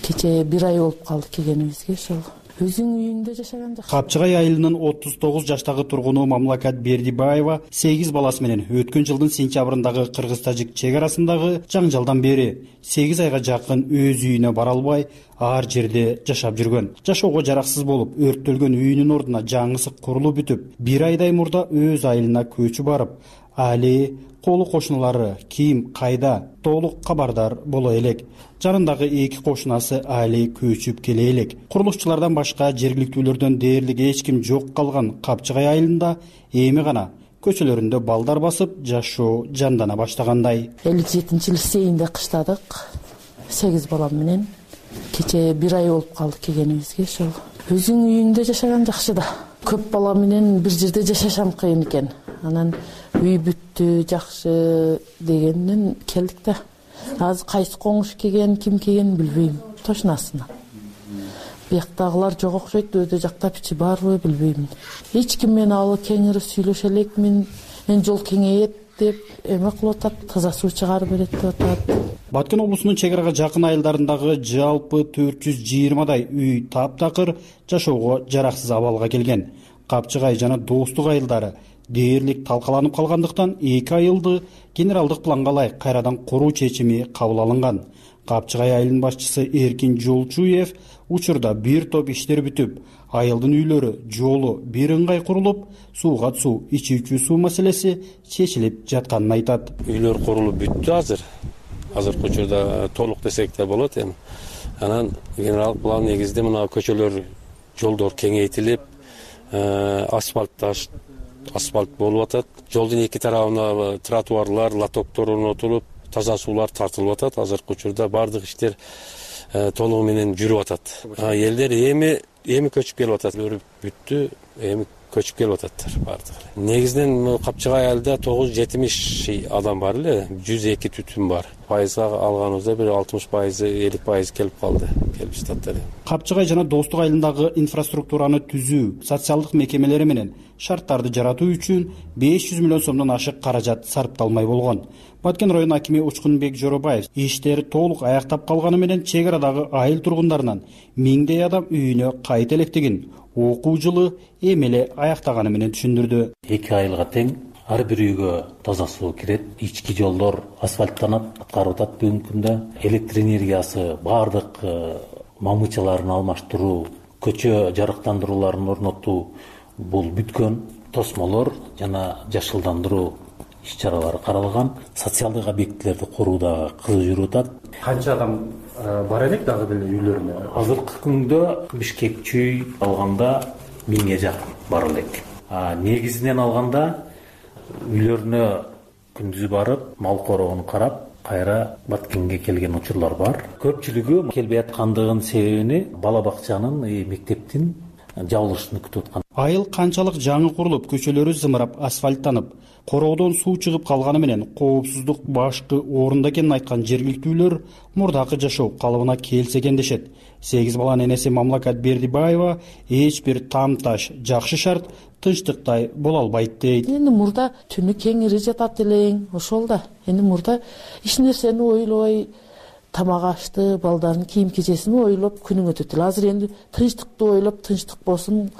кече бир ай болуп калды келгенибизге. Ошол өзүң үйүңдө жашаган жакшы. Капчыгай айылынын отуз тогуз жаштагы тургуну Мамлакат Бердибаева сегиз баласы менен өткөн жылдын сентябрындагы кыргыз-тажик чек арасындагы жаңжалдан бери сегиз айга жакын өз үйүнө бара албай ар жерде жашап жүргөн. Жашоого жараксыз болуп, өрттөлгөн үйүнүн ордуна жаңысы курулуп бүтүп, бир айдай мурда өз айылына көчүп барып, али колу кошуналары ким кайда толук кабардар боло элек. Жарындагы эки кошунасы али көчүп келе элек. Курулушчулардан башка жергиликтүүлөрдөн дээрлик эч ким жок калган Капчыгай айылында эми гана көчөлөрүндө балдар басып жашоо жандана баштагандай. элүү жетинчи лицейинде кыштадык. сегиз балам менен кече бир ай болуп калды келгенибизге. Ошол өзүң үйүңдө жашаган жакшы да. Көп бала менен бир жерде жашашам кыйын экен. Анан үй бүттү жакшы дегенден келдик да. Азыр кайсы коңуш келген, ким келген билбейм точносуна. Бияктагылар жок окшойт, өйдө жакта ичи барбы билбейм. Эч ким менен ал кеңири сүйлөшө элекмин. Мен жол кеңейет деп эме кылып атат, таза суу чыгарып берет деп атат. Баткен облусунун чек арага жакын айылдарындагы жалпы төрт жүз жыйырмадай үй таптакыр жашоого жараксыз абалга келген. Капчыгай жана Достук айылдары дээрлик талкаланып калгандыктан эки айылды генералдык планга ылайык кайрадан куруу чечими кабыл алынган. Капчыгай айылынын башчысы Эркин Жолчуев учурда бир топ иштер бүтүп, айылдын үйлөрү, жолу бир ыңгай курулуп, сууга суу, ичүүчү суу маселеси чечилип жатканын айтат. Үйлөр курулуп бүттү азыр. Азыркы учурда толук десек да болот эми. Анан генералдык план негизинде мына көчөлөр, жолдор кеңейтилип, асфальтташ асфальт болуп атат. Жолдун эки тарабына тротуарлар, лотоктор орнотулуп, таза суулар тартылып атат. Азыркы учурда бардык иштер толугу менен жүрүп атат. Элдер эми эми көчүп келип атат. Өрүп бүттү, эми көчүп келип ататтар бардыгы. Негизинен Капчыгай айылда тогуз жүз жетимиш адам бар эле, жүз эки түтүн бар. Пайызга алганыбызда бир алтымыш пайыз, элүү пайыз келип калды, келип жататтар. Капчыгай жана Достук айылындагы инфраструктураны түзүү, социалдык мекемелери менен шарттарды жаратуу үчүн беш жүз миллион сомдон ашык каражат сарпталмай болгон. Баткен район акими Учкунбек Жоробаев иштери толук аяктап калганы менен чек арадагы айыл тургундарынан миңдей адам үйүнө кайта электигин окуу жылы эми эле аяктаганы менен түшүндүрдү. Эки айылга тең ар бир үйгө таза суу кирет, ички жолдор асфальттанат, аткарып атат бүгүнкү күндө. Электр энергиясы бардык мамычаларын алмаштыруу, көчө жарыктандырууларын орнотуу бул бүткөн. Тосмолор жана жашылдандыруу иш-чаралары каралган. Социалдык объектилерди курууда кызуу жүрүп атат. Канча адам бар элек дагы деле үйлөрүнө? Азыркы күндө Бишкек чүй алганда миңге жакын бар элек. Негизинен алганда үйлөрүнө күндүз барып, мал короонун карап, кайра Баткенге келген учурлар бар. Көпчүлүгү келбей аткандыгынын себебини бала бакчанын, мектептин жабылышын күтүп аткан. Айыл канчалык жаңы курулуп, көчөлөрү зымырап, асфальттанып, короодон суу чыгып калганы менен коопсуздук башкы орунда экенин айткан жергиликтүүлөр мурдакы жашоо калыбына келсе экен дешет. сегиз баланын энеси Мамлакат Бердибаева эч бир там-таш, жакшы шарт, тынчтыктай боло албайт дейт. Эми мурда түнү кеңири жатат элең, ошол да. Эми мурда эч нерсени ойлобой, тамак ашты, балдардын кийим кечесин ойлоп күнүң өтөт эле. Азыр энди тынчтыкты ойлоп, тынчтык болсун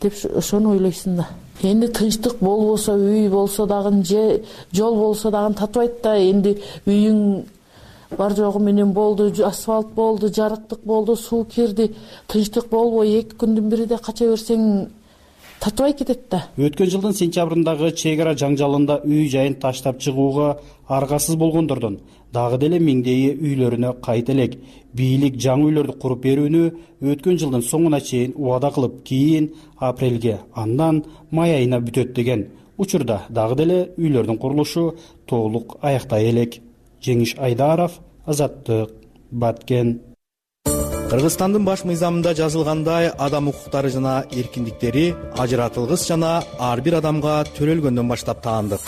деп ошону ойлойсуң да. Энди тынчтык болбосо, үй болсо дагы, же жол болсо дагы татыбайт да. Энди үйүң бар жогу менен болду, асфальт болду, жарыктык болду, суу кирди, тынчтык болбой эки күндүн биринде кача берсең татыбай кетет да. Өткөн жылдын сентябрындагы чек ара жаңжалында үй жайын таштап чыгууга аргасыз болгондордон дагы деле миңдейи үйлөрүнө кайта элек. Бийлик жаңы үйлөрдү куруп берүүнү өткөн жылдын соңуна чейин убада кылып, кийин апрелге, андан май айына бүтөт деген. Учурда дагы деле үйлөрдүн курулушу толук аяктай элек. Жеңиш Айдаров, Азаттык, Баткен. Кыргызстандын баш мыйзамында жазылгандай, адам укуктары жана эркиндиктери ажыратылгыс жана ар бир адамга төрөлгөндөн баштап таандык.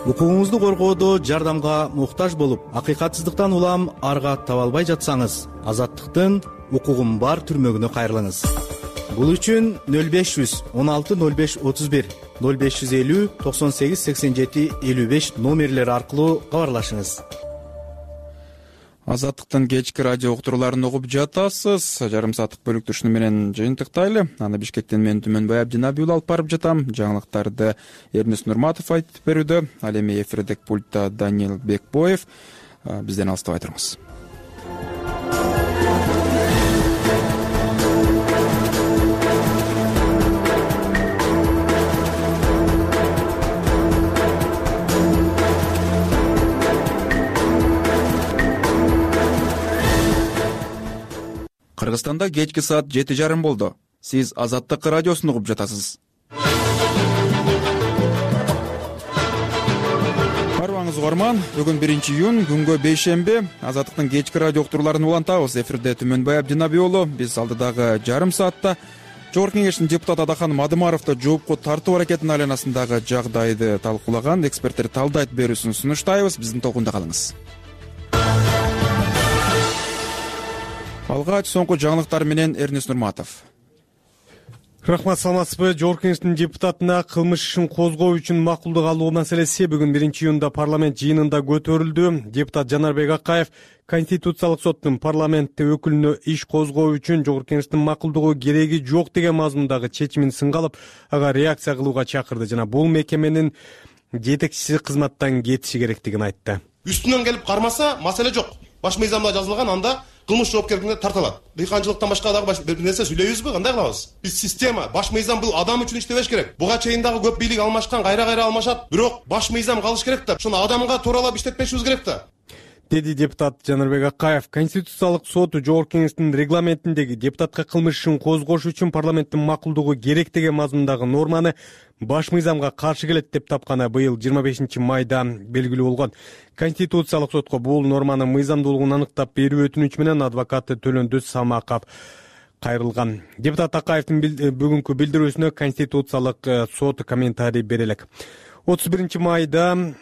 Укугуңузду коргоодо жардамга муктаж болуп, акыйкатсыздыктан улам арга таба албай жатсаңыз, Азаттыктын укугум бар түрмөгүнө кайрылыңыз. Бул үчүн нөл беш жүз он алты нөл беш отуз бир, нөл беш жүз элүү токсон сегиз сексен жети элүү беш номерлери аркылуу кабарлашыңыз. Азаттыктын кечки радио уктурууларын угуп жатасыз. Жарым сааттык бөлүктү ушуну менен жыйынтыктайлы. Аны Бишкектен мен Түмөнбай Абдинабий уулу алып барып жатам. Жаңылыктарды Эрнис Нурматов айтып берүүдө. Ал эми эфирдик пультта Даниил Бекбоев. Бизден алыстабай туруңуз. Кыргызстанда кечки саат жети жарым болду. Сиз Азаттык радиосун угуп жатасыз. Барбаңыз угарман, бүгүн биринчи июнь, күнгө бейшемби. Азаттыктын кечки радио уктурууларын улантабыз. Эфирде Түмөнбай Абдинабий уулу. Биз алдыдагы жарым саатта Жогорку Кеңештин депутаты Адахан Мадымаровду жоопко тартуу аракетинин айланасындагы жагдайды талкуулаган, эксперттер талдайт берүүсүн сунуштайбыз. Биздин толкунда калыңыз. Алгач соңку жаңылыктар менен Эрнис Нурматов. Рахмат, саламатсызбы? Жогорку Кеңештин депутатына кылмыш ишин козгоо үчүн макулдук алуу маселеси бүгүн биринчи июнда парламент жыйынында көтөрүлдү. Депутат Жанарбек Акаев Конституциялык соттун парламентте өкүлүнө иш козгоо үчүн Жогорку Кеңештин макулдугу кереги жок деген мазмундагы чечимин сынга алып, ага реакция кылууга чакырды жана бул мекеменин жетекчиси кызматтан кетиши керектигин айтты. Үстүнөн келип кармаса маселе жок. Баш мыйзамда жазылган, анда кылмыш жоопкерлигине тартылат. Дыйканчылыктан башка дагы бир нерсе сүйлөйбүзбү? Кандай кылабыз? Биз система, баш мыйзам бул адам үчүн иштебеш керек. Буга чейин дагы көп бийлик алмашкан, кайра-кайра алмашат. Бирок баш мыйзам калыш керек да, ошону адамга тууралап иштетпешибиз керек да. Деди депутат Жанарбек Акаев. Конституциялык сот Жогорку Кеңештин регламентиндеги депутатка кылмыш ишин козгош үчүн парламенттин макулдугу керек деген мазмундагы норманы баш мыйзамга каршы келет деп тапканы быйыл жыйырма бешинчи майда белгилүү болгон. Конституциялык сотко бул норманын мыйзамдуулугун аныктап берүү өтүнүчү менен адвокаты Төлөндөз Самаков кайрылган. Депутат Акаевдин бүгүнкү билдирүүсүнө Конституциялык сот комментарий бере элек. отуз биринчи майда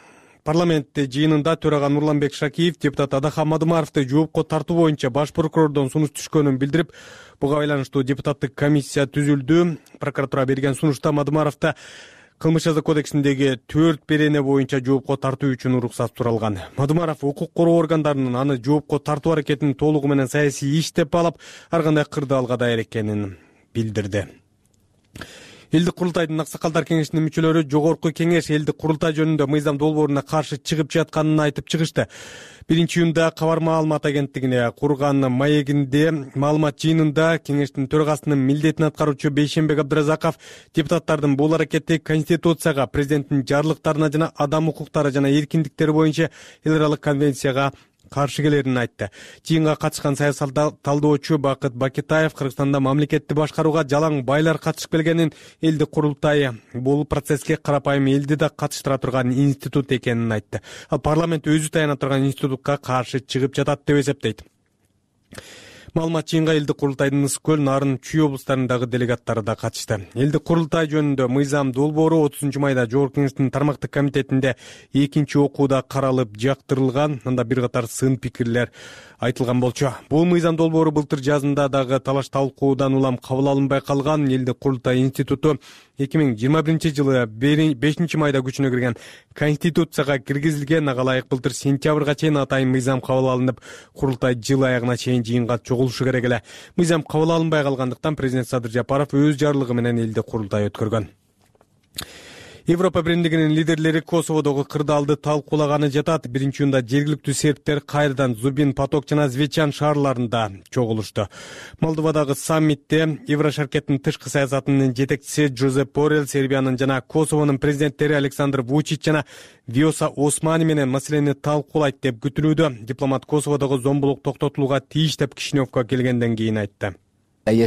парламент жыйынында төрага Нурланбек Шакиев депутат Адахан Мадымаровду жоопко тартуу боюнча баш прокурордон сунуш түшкөнүн билдирип, буга байланыштуу депутаттык комиссия түзүлдү. Прокуратура берген сунушта Мадымаровду кылмыш жаза кодексиндеги төрт берене боюнча жоопко тартуу үчүн уруксат суралган. Мадымаров укук короо органдарынын аны жоопко тартуу аракетин толугу менен саясий иш деп алып, ар кандай кырды алга даяр экенин билдирди. Элдик курултайдын аксакалдар кеңешинин мүчөлөрү Жогорку Кеңеш элдик курултай жөнүндө мыйзам долбооруна каршы чыгып жатканын айтып чыгышты. биринчи июнда Кабар маалымат агенттигине курган маегинде маалымат жыйынында кеңештин төрагасынын милдетин аткаруучу Бейшембек Абдыразаков депутаттардын бул аракети Конституцияга, президенттин жарлыктарына жана адам укуктары жана эркиндиктери боюнча эл аралык конвенцияга каршы келерин айтты. Жыйынга катышкан саясий талдоочу Бакыт Бакетаев Кыргызстанда мамлекетти башкарууга жалаң байлар катышып келгенин, элдик курултай бул процесске карапайым элди да катыштыра турган институт экенин айтты. Ал парламент өзү таяна турган институтка каршы чыгып жатат деп эсептейт. Маалымат жыйынга элдик курултайдын Ысык көл, Нарын, Чүй облустарындагы делегаттары да катышты. Элдик курултай жөнүндө мыйзам долбоору отузунчу майда Жогорку Кеңештин тармактык комитетинде экинчи окууда каралып жактырылган. Анда бир катар сын пикирлер айтылган болчу. Бул мыйзам долбоору былтыр жазында дагы талаш талкуудан улам кабыл алынбай калган. Элдик курултай институту эки миң жыйырма биринчи жылы бешинчи майда күчүнө кирген Конституцияга киргизилген. Ага ылайык былтыр сентябрга чейин атайын мыйзам кабыл алынып, курултай жыл аягына чейин жыйынга чогулушу керек эле. Мыйзам кабыл алынбай калгандыктан президент Садыр Жапаров өз жарлыгы менен элдик курултай өткөргөн. Европа биримдигинин лидерлери Косоводогу кырдаалды талкуулаганы жатат. Биринчи июнда жергиликтүү сербтер кайрадан Зубин, Поток жана Звечан шаарларында чогулушту. Молдовадагы саммитте Еврошаркеттин тышкы саясатынын жетекчиси Жозеп Боррелл, Сербиянын жана Косовонун президенттери Александр Вучич жана Виоса Османи менен маселени талкуулайт деп күтүлүүдө. Дипломат Косоводогу зомбулук токтотулууга тийиш деп Кишиневко келгенден кийин айтты. Мен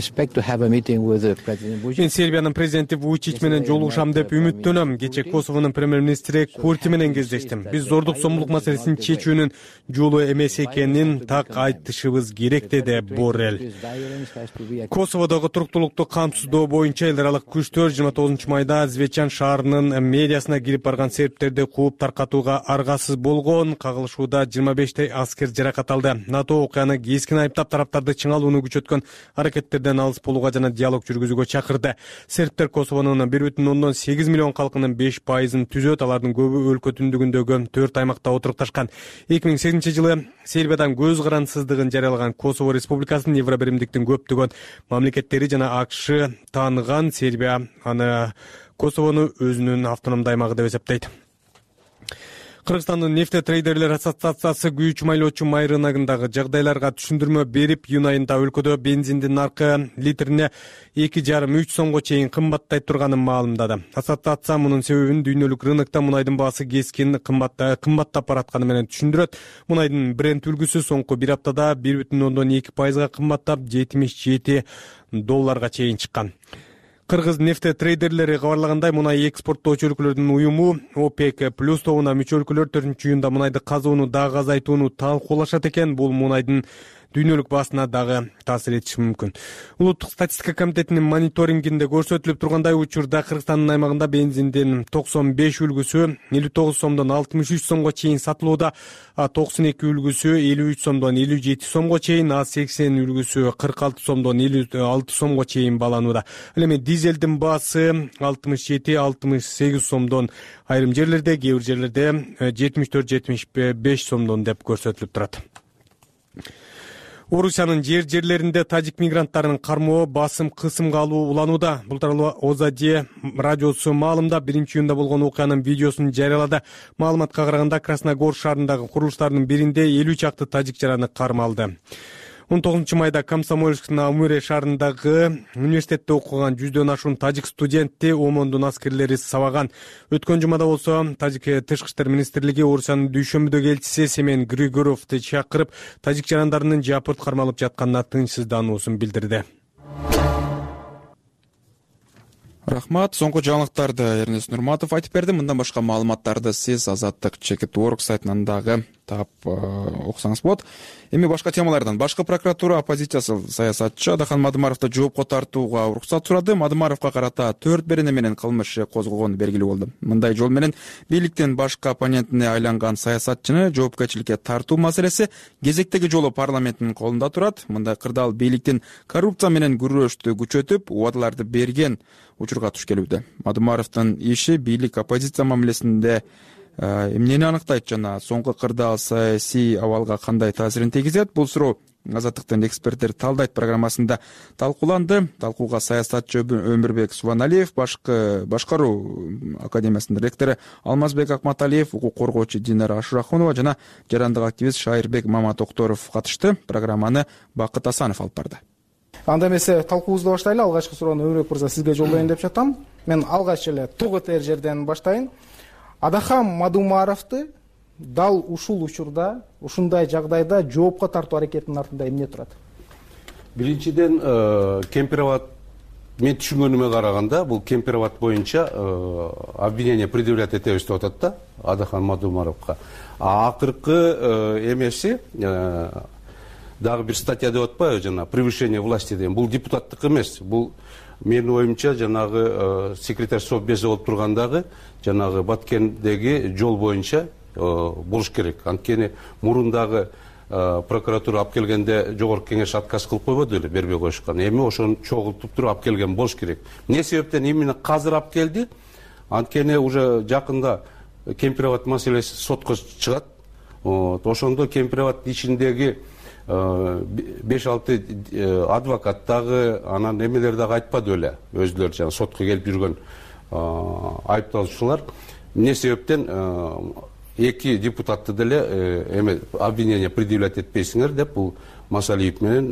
Сербиянын президенти Вучич менен жолугушам деп үмүттөнөм. Кече Косовонун премьер-министри Курти менен кездештим. Биз зордук сомдук маселесин чечүүнүн жолу эмес экенин так айтышыбыз керек, деди Боррелл. Косоводогу туруктуулукту камсыздоо боюнча эл аралык күчтөр жыйырма тогузунчу майда Звечан шаарынын медиасына кирип барган сербтерди кууп таркатууга аргасыз болгон. Кагылышууда жыйырма бештей аскер жаракат алды. НАТО окуяны кескин айыптап тараптарды чыңалууну күчөткөн аракет эркектерден алыс болууга жана диалог жүргүзүүгө чакырды. Сербтер Косовонун бир бүтүн ондон сегиз миллион калкынын беш пайызын түзөт. Алардын көбү өлкө түндүгүндөгү төрт аймакта отурукташкан. эки миң сегизинчи жылы Сербиядан көз карансыздыгын жарыялаган Косово Республикасын Евробиримдиктин көптөгөн мамлекеттери жана АКШ тааныган. Сербия аны Косовону өзүнүн автономдуу аймагы деп эсептейт. Кыргызстандын нефтетрейдерлер ассоциациясы күйүүчү майлоочу май рыногундагы жагдайларга түшүндүрмө берип, июнь айында өлкөдө бензиндин наркы литрине эки жарым үч сомго чейин кымбаттай турганын маалымдады. Ассоциация мунун себебин дүйнөлүк рынокто мунайдын баасы кескин кымбаттап баратканы менен түшүндүрөт. Мунайдын бренд үлгүсү соңку бир аптада бир бүтүн ондон эки пайызга кымбаттап жетимиш жети долларга чейин чыккан. Кыргыз нефтетрейдерлери кабарлагандай, мунай экспорттоочу өлкөлөрдүн уюму ОПЕК плюс тобуна мүчө өлкөлөр төртүнчү июнда мунайды казууну дагы азайтууну талкуулашат экен. Бул мунайдын дүйнөлүк баасына дагы таасир этиши мүмкүн. Улуттук статистика комитетинин мониторингинде көрсөтүлүп тургандай, учурда Кыргызстандын аймагында бензиндин токсон беш үлгүсү элүү тогуз сомдон алтымыш үч сомго чейин сатылууда, а токсон эки үлгүсү элүү үч сомдон элүү жети сомго чейин, а сексен үлгүсү кырк алты сомдон элүү алты сомго чейин бааланууда. Ал эми дизелдин баасы алтымыш жети алтымыш сегиз сомдон, айрым жерлерде, кээ бир жерлерде жетимиш төрт жетимиш беш сомдон деп көрсөтүлүп турат. Орусиянын жер жерлеринде тажик мигранттарынын кармоо, басым, кысымга алуу уланууда. Бул тууралуу Озаде радиосу маалымдап, биринчи июнда болгон окуянын видеосун жарыялады. Маалыматка караганда, Красногор шаарындагы курулуштардын биринде элүү чакты тажик жараны кармалды. он тогузунчу майда Комсомольсктин Амуре шаарындагы университетте окуган жүздөн ашуун тажик студентти ОМОНдун аскерлери сабаган. Өткөн жумада болсо Тажик тышкы иштер министрлиги Орусиянын дүйшөмбүдөгү элчиси Семен Григоровду чакырып, тажик жарандарынын жапырт кармалып жатканына тынчсыздануусун билдирди. Рахмат. Соңку жаңылыктарды Эрнест Нурматов айтып берди. Мындан башка маалыматтарды сиз Азаттык чекит точка орг сайтынан дагы таап окусаңыз болот. Эми башка темалардан. Башкы прокуратура оппозициясы саясатчы Адахан Мадымаровду жоопко тартууга уруксат сурады. Мадымаровго карата төрт берене менен кылмыш иши козголгону белгилүү болду. Мындай жол менен бийликтин башкы оппонентине айланган саясатчыны жоопкерчиликке тартуу маселеси кезектеги жолу парламенттин колунда турат. Мындай кырдаал бийликтин коррупция менен күрөштү күчөтүп, убадаларды берген учурга туш келүүдө. Мадымаровдун иши бийлик оппозиция мамилесинде эмнени аныктайт жана соңку кырдаал саясий абалга кандай таасирин тийгизет? Бул суроо Азаттыктын эксперттери талдайт программасында талкууланды. Талкууга саясатчы Өмүрбек Субаналиев, башкы башкаруу академиясынын ректору Алмазбек Акматалиев, укук коргоочу Динара Ашурахунова жана жарандык активист Шайырбек Маматокторов катышты. Программаны Бакыт Асанов алып барды. Анда эмесе талкуубузду баштайлы. Алгачкы суроону Өмүрбек мырза сизге жолдоюн деп жатам. Мен алгач эле тук этер жерден баштайын. Адахан Мадымаровду дал ушул учурда, ушундай жагдайда жоопко тартуу аракетинин артында эмне турат? Биринчиден, Кемпироват, мен түшүнгөнүмө караганда, бул Кемпироват боюнча обвинение предъявлять этебиз деп атат да Адахан Мадымаровго. А акыркы эмеси дагы бир статья деп атпайбы, жана превышение власти деген. Бул депутаттык эмес. Бул менин оюмча жанагы секретарь совбезди болуп тургандагы жанагы Баткендеги жол боюнча болуш керек. Анткени мурундагы прокуратура алып келгенде жогорку кеңеш отказ кылып койбоду эле, бербей коюшкан. Эми ошону чогултуп туруп алып келген болуш керек. Эмне себептен именно азыр алып келди? Анткени уже жакында Кемпироват маселеси сотко чыгат. Ошондо Кемпироват ичиндеги беш алты адвокат дагы, анан эмелер дагы айтпады эле, өзүлөрү жана сотко келип жүргөн айыпталуучулар. Эмне себептен эки депутатты деле эме обвинение предъявлять этпейсиңер деп бул Масалиев менен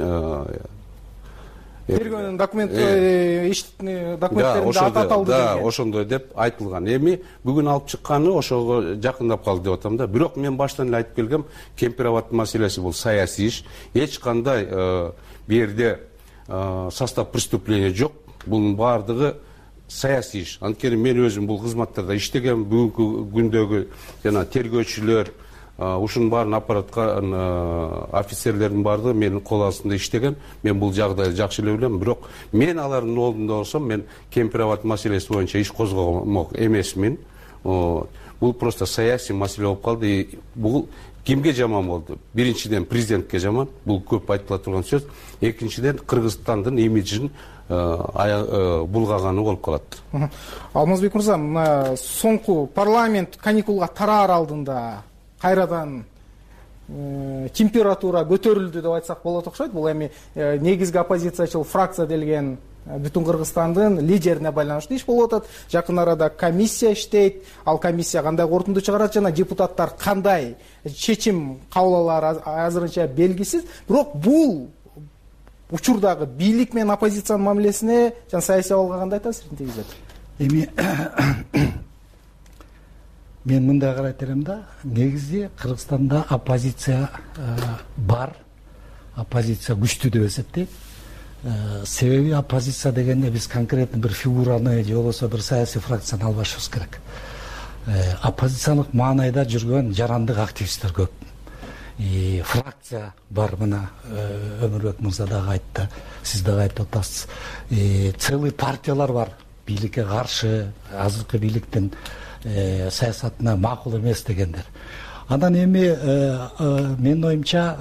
тергөөнүн документтери иш документтеринде аталды деген. Да, ошондой деп айтылган. Эми бүгүн алып чыкканы ошого жакындап калды деп атам да. Бирок мен баштан эле айтып келгем, Кемпироват маселеси бул саясий иш. Эч кандай бу жерде состав преступления жок. Бунун баардыгы саясий иш. Анткени мен өзүм бул кызматтарда иштегем, бүгүнкү күндөгү жана тергөөчүлөр, ушунун баарын аппараткан офицерлердин баардыгы менин кол астында иштеген. Мен бул жагдайды жакшы эле билем. Бирок мен алардын ордунда болсом, мен Кемпироват маселеси боюнча иш козгомок эмесмин. бул просто саясий маселе болуп калды. Бул кимге жаман болду? Биринчиден президентке жаман, бул көп айтыла турган сөз. Экинчиден Кыргызстандын имиджин булгаганы болуп калат. Алмазбек мырза, мына соңку парламент каникулга тараар алдында кайрадан температура көтөрүлдү деп айтсак болот окшойт. Бул эми негизги оппозициячыл фракция делген бүтүн Кыргызстандын лидерине байланыштуу иш болуп атат. Жакын арада комиссия иштейт. Ал комиссия кандай корутунду чыгарат жана депутаттар кандай чечим кабыл алары азырынча белгисиз. Бирок бул учурдагы бийлик менен оппозициянын мамилесине жана саясий абалга кандай таасирин тийгизет? Эми мен мындай карайт элем да, негизи Кыргызстанда оппозиция бар, оппозиция күчтүү деп эсептейм. Себеби оппозиция дегенде биз конкретно бир фигураны же болбосо бир саясий фракцияны албашыбыз керек. Оппозициялык маанайда жүргөн жарандык активисттер көп. И фракция бар, мына Өмүрбек мырза дагы айтты, сиз дагы айтып атасыз. Целый партиялар бар, бийликке каршы, азыркы бийликтин саясатына макул эмес дегендер. Анан эми менин оюмча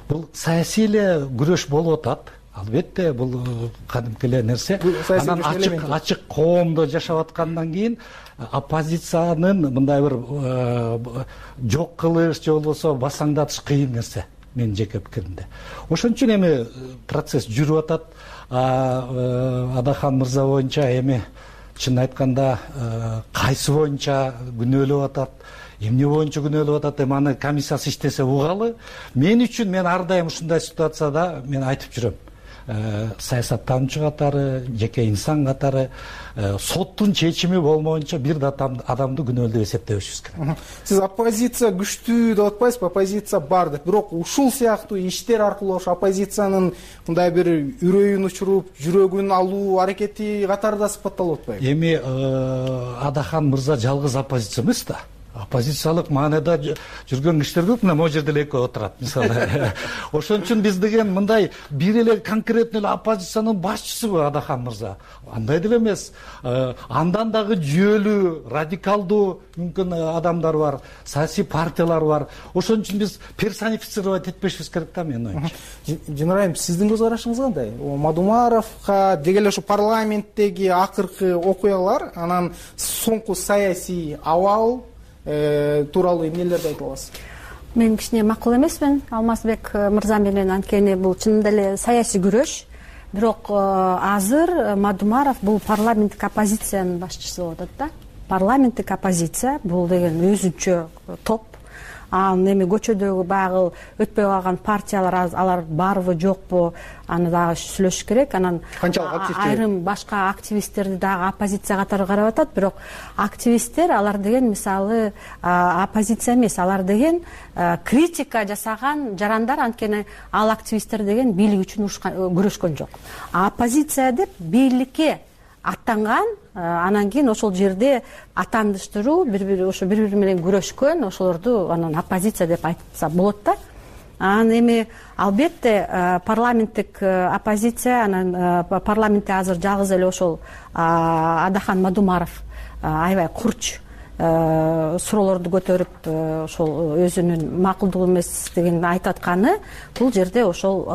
бул саясий эле күрөш болуп атат. Албетте бул кадимки эле нерсе. Анан ачык ачык коомдо жашап аткандан кийин оппозициянын мындай бир жок кылыш же болбосо басаңдатыш кыйын нерсе, менин жеке пикиримде. Ошон үчүн эми процесс жүрүп атат. Адахан мырза боюнча эми чын айтканда кайсы боюнча күнөөлөп атат, эмне боюнча күнөөлөп атат, эми аны комиссиясы иштесе угалы. Мен үчүн мен ар дайым ушундай ситуацияда мен айтып жүрөм. Саясаттануучу катары, жеке инсан катары соттун чечими болмоюнча бир да адамды күнөөлүү деп эсептебешибиз керек. Сиз оппозиция күчтүү деп атпайсызбы? Оппозиция бар деп. Бирок ушул сыяктуу иштер аркылуу ошо оппозициянын мындай бир үрөйүн учуруп, жүрөгүн алуу аракети катары да сыпатталып атпайбы? Эми Адахан мырза жалгыз оппозиция эмес да. Оппозициялык маанайда жүргөн кишилер көп, мына могу жерде эле экөө отурат мисалы. Ошон үчүн биз деген мындай бир эле конкретно эле оппозициянын башчысыбы Адахан мырза? Андай деле эмес. Андан дагы жүйөлүү, радикалдуу мүмкүн адамдар бар, саясий партиялар бар. Ошон үчүн биз персонифицировать этпешибиз керек да, менин оюмча. Жинарайым, сиздин көз карашыңыз кандай? Мадумаровго деги эле ушу парламенттеги акыркы окуялар, анан соңку саясий абал тууралуу эмнелерди айта аласыз? Мен кичине макул эмесмин Алмазбек мырза менен, анткени бул чынында эле саясий күрөш. Бирок азыр Мадумаров бул парламенттик оппозициянын башчысы болуп атат да. Парламенттик оппозиция бул деген өзүнчө топ. Анан эми көчөдөгү баягы өтпөй калган партиялар, алар барбы жокпу, аны дагы сүйлөшүш керек. Анан айрым башка активисттерди дагы оппозиция катары карап атат. Бирок активисттер, алар деген мисалы оппозиция эмес, алар деген критика жасаган жарандар, анткени ал активисттер деген бийлик үчүн күрөшкөн жок. А оппозиция деп бийликке аттанган, анан кийин ошол жерде атандыштыруу, бири-бири ошо бири-бири менен күрөшкөн, ошолорду анан оппозиция деп айтса болот да. Анан эми албетте парламенттик оппозиция, анан парламентте азыр жалгыз эле ошол Адахан Мадумаров аябай курч суроолорду көтөрүп, ошол өзүнүн макулдук эместигин айтып атканы, бул жерде ошол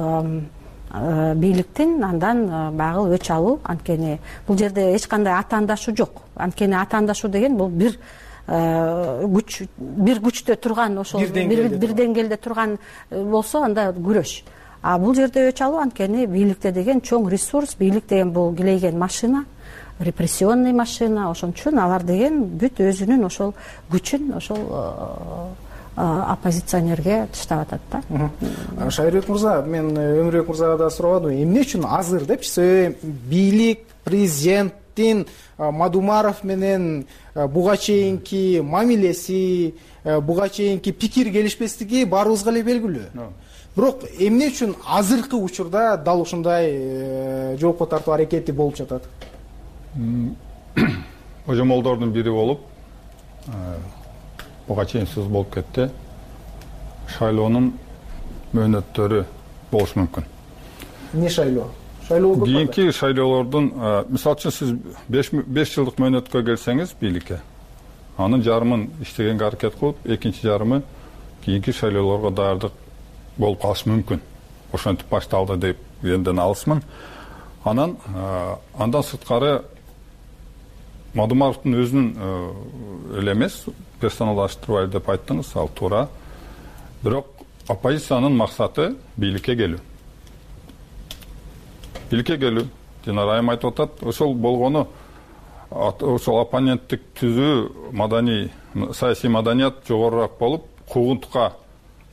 бийликтин андан баягы өч алуу, анткени бул жерде эч кандай атаандашуу жок. Анткени атаандашуу деген бул бир күч, бир күчтө турган, ошол бир деңгээлде турган болсо анда күрөш. А бул жерде өч алуу, анткени бийликте деген чоң ресурс, бийлик деген бул килейген машина, репрессионный машина, ошон үчүн алар деген бүт өзүнүн ошол күчүн ошол оппозиционерге таштап атат да. Шайырбек мырза, мен Өмүрбек мырзага да сурабадым, эмне үчүн азыр депчи? Себеби бийлик, президенттин Мадумаров менен буга чейинки мамилеси, буга чейинки пикир келишпестиги баарыбызга эле белгилүү. Бирок эмне үчүн азыркы учурда дал ушундай жоопко тартуу аракети болуп жатат? Божомолдордун бири болуп, буга чейин сөз болуп кетти, шайлоонун мөөнөттөрү болушу мүмкүн. Эмне шайлоо? Шайлоо кийинки шайлоолордун, мисалы үчүн сиз беш жылдык мөөнөткө келсеңиз бийликке, анын жарымын иштегенге аракет кылып, экинчи жарымы кийинки шайлоолорго даярдык болуп калышы мүмкүн. Ошентип башталды деп энден алысмын. Анан андан сырткары Мадумаровдун өзүнүн эле эмес, персоналдаштырбайлы деп айттыңыз, ал туура. Бирок оппозициянын максаты бийликке келүү. Бийликке келүү. Жана Райым айтып атат, ошол болгону ошол оппоненттик түзүү, маданий, саясий маданият жогорураак болуп, куугунтукка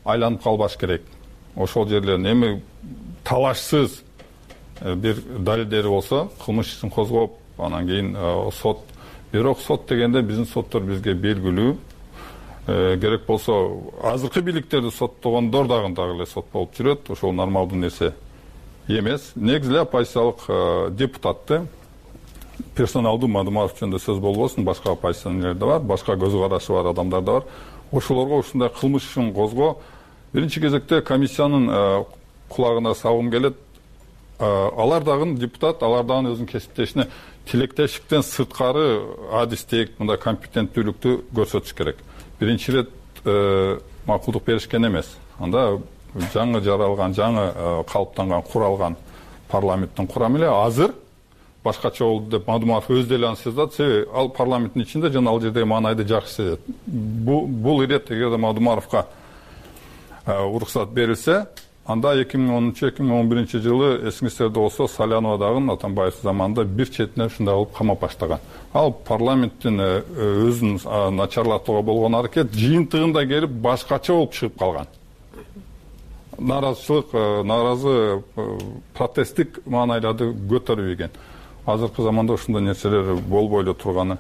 айланып калбаш керек. Ошол жерлерин эми талашсыз бир далилдери болсо, кылмыш ишин козгоп, анан кийин сот. Бирок сот дегенде биздин соттор бизге белгилүү. Керек болсо азыркы бийликтерди соттогондор дагы дагы эле сот болуп жүрөт. Ошол нормалдуу нерсе эмес. Негизи эле оппозициялык депутатты персоналдуу Мадумаров жөнүндө сөз болбосун, башка оппозиционерлер да бар, башка көз карашы бар адамдар да бар. Ошолорго ушундай кылмыш ишин козгоо биринчи кезекте комиссиянын кулагына салгым келет. Алар дагы депутат, алар дагы өзүнүн кесиптешине тилектештиктен сырткары адистик, мындай компетенттүүлүктү көрсөтүш керек. Биринчи ирет макулдук беришкен эмес. Анда жаңы жаралган, жаңы калыптанган, куралган парламенттин курамы эле азыр башкача болду деп Мадумаров өз деле аны сезат. Себеби ал парламенттин ичинде жана ал жердеги маанайды жакшы сезет. Бул ирет эгерде Мадумаровго уруксат берилсе, анда эки миң онунчу эки миң он биринчи жылы эсиңиздерде болсо Салянова дагы Атамбаев заманында бир четине ушундай кылып камап баштаган. Ал парламенттин өзүн начарлатууга болгон аракет жыйынтыгында келип башкача болуп чыгып калган. Наразычылык, наразы протесттик маанайларды көтөрүп ийген. Азыркы заманда ушундай нерселер болбой эле турганы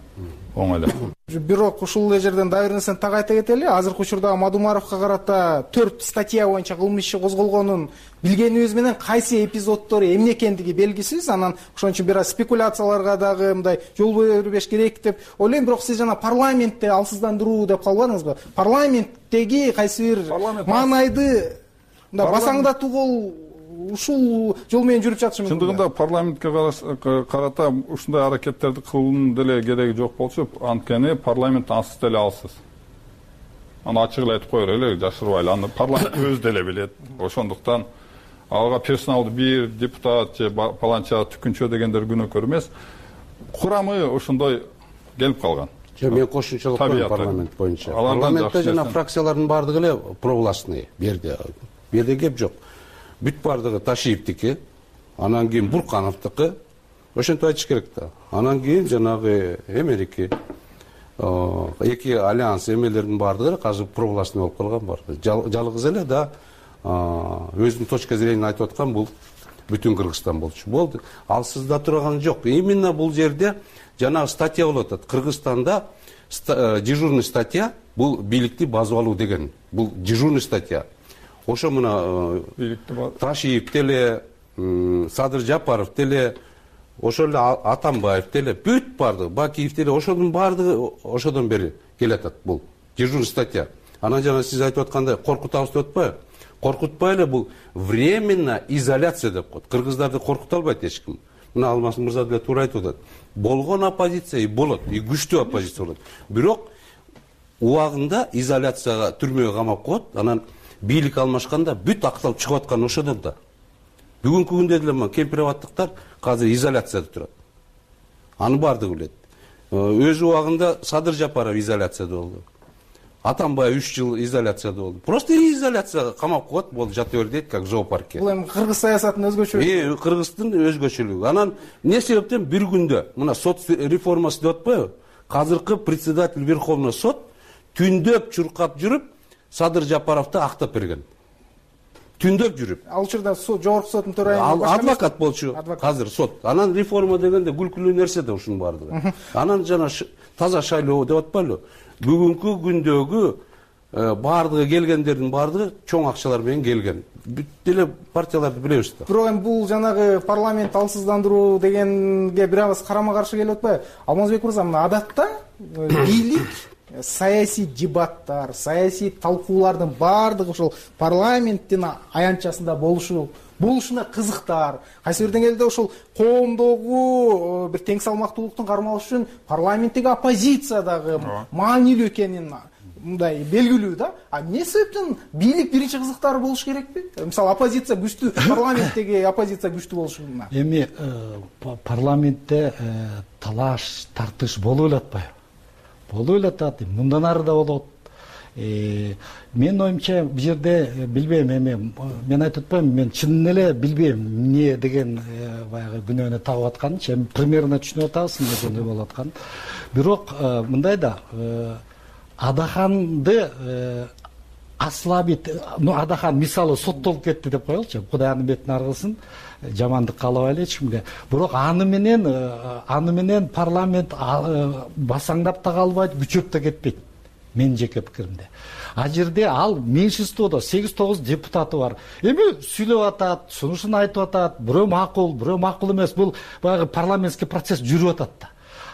оңой эле. Бирок ушул эле жерден дагы бир нерсени так айта кетели. Азыркы учурда Мадумаровго карата төрт статья боюнча кылмыш иши козголгонун билгенибиз менен кайсы эпизоддору эмне экендиги белгисиз. Анан ошон үчүн бир аз спекуляцияларга дагы мындай жол бербеш керек деп ойлойм. Бирок сиз жана парламентте алсыздандыруу деп калбадыңызбы? Парламенттеги кайсы бир маанайды басаңдатуу ушул жол менен жүрүп жатышы мүмкүн. Чындыгында парламентке карата ушундай аракеттерди кылуунун деле кереги жок болчу. Анткени парламент ансыз деле алсыз. Аны ачык эле айтып коелу эле, жашырбайлы. Аны парламент өзү деле билет. Ошондуктан ага персоналдуу бир депутат же паланча түкүнчө дегендер күнөөкөр эмес. Курамы ошондой келип калган. Мен кошумчалык коем парламент боюнча. Парламентте жана фракциялардын баардыгы эле провластный. Берде берде кеп жок. Бүт бардыгы Ташиевдики, анан кийин Буркановдуку, ошентип айтыш керек да. Анан кийин жанагы Эмерики, эки альянс эмелердин бардыгы азыр провластный болуп калган бар. Жалгыз эле да өзүнүн точка зрениесин айтып аткан бул бүтүн Кыргызстан болчу. Болду. Алсыз да турган жок. Именно бул жерде жанагы статья болуп атат. Кыргызстанда дежурный статья бул бийликти базып алуу деген. Бул дежурный статья. Ошо мына Ташиев деле, Садыр Жапаров деле, ошол эле Атамбаев деле, бүт бардыгы, Бакиев деле, ошонун бардыгы ошодон бери келатат бул дежурный статья. Анан жана сиз айтып аткандай коркутабыз деп атпайбы? Коркутпай эле бул временно изоляция деп коет. Кыргыздарды коркута албайт эч ким. Мына Алмаз мырза деле туура айтып атат. Болгон оппозиция и болот, и күчтүү оппозиция болот. Бирок убагында изоляцияга, түрмөгө камап коет. Анан бийлик алмашканда бүт акталып чыгып аткан ошодон да. Бүгүнкү күндө деле кемпирабаттыктар азыр изоляцияда турат. Аны бардыгы билет. Өз убагында Садыр Жапаров изоляцияда болду. Атамбаев үч жыл изоляцияда болду. Просто изоляцияга камап коет, болду, жата бер дейт, как в зоопарке. Бул эми кыргыз саясатынын өзгөчөлүгү. Э, Кыргыздын өзгөчөлүгү. Анан эмне себептен бир күндө мына сот реформасы деп атпайбы? Азыркы председатель Верховный сот түндөп чуркап жүрүп Садыр Жапаровду актап берген. Түндөп жүрүп. Ал учурда жогорку соттун төрайымы Ал адвокат болчу. Азыр сот. Анан реформа дегенде күлкүлүү нерсе да ушунун бардыгы. Анан жана таза шайлоо деп атпайлы. Бүгүнкү күндөгү бардыгы келгендердин бардыгы чоң акчалар менен келген. Бүт деле партияларды билебиз да. Бирок эми бул жанагы парламент алсыздандыруу дегенге бир аз карама каршы келип атпайбы? Алмазбек мырза, мына адатта бийлик саясий дебаттар, саясий талкуулардын баардыгы ошол парламенттин аянтчасында болушу болушуна кызыктар, кайсы бир деңгээлде ошол коомдогу бир тең салмактуулуктун кармалышы үчүн парламенттеги оппозиция дагы маанилүү экенин мындай белгилүү да. А эмне себептен бийлик биринчи кызыктары болуш керекпи? Мисалы оппозиция күчтүү, парламенттеги оппозиция күчтүү болушуна. Эми парламентте талаш, тартыш болуп эле атпайбы? Болуп эле атат, мындан ары да болот. Менин оюмча бул жерде билбейм, эми мен айтып атпайм, мен чын эле билбейм эмне деген баягы күнөөнү тагып атканынчы, эми примерно түшүнүп атабыз эмне жөнүндө болуп атканын. Бирок мындай да, Адаханды аслабит, ну Адахан мисалы соттолуп кетти деп коелучу, Кудай анын бетин ар кылсын, жамандык каалабайлы эч кимге. Бирок аны менен аны менен парламент басаңдап да калбайт, күчөп да кетпейт. Менин жеке пикиримде. А жерде ал меньшинстводо сегиз тогуз депутаты бар. Эми сүйлөп атат, сунушун айтып атат, бирөө макул, бирөө макул эмес. Бул баягы парламентский процесс жүрүп атат да.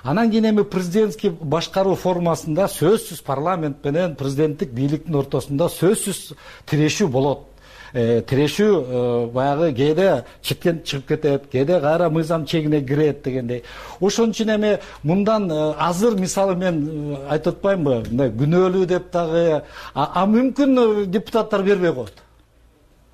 Анан кийин эми президентский башкаруу формасында сөзсүз парламент менен президенттик бийликтин ортосунда сөзсүз тирешүү болот. Тирешүү баягы кээде четтен чыгып кетет, кээде кайра мыйзам чегине кирет дегендей. Ошон үчүн эми мындан азыр мисалы мен айтып атпаймынбы, мындай күнөөлүү деп дагы, а мүмкүн депутаттар бербей коет.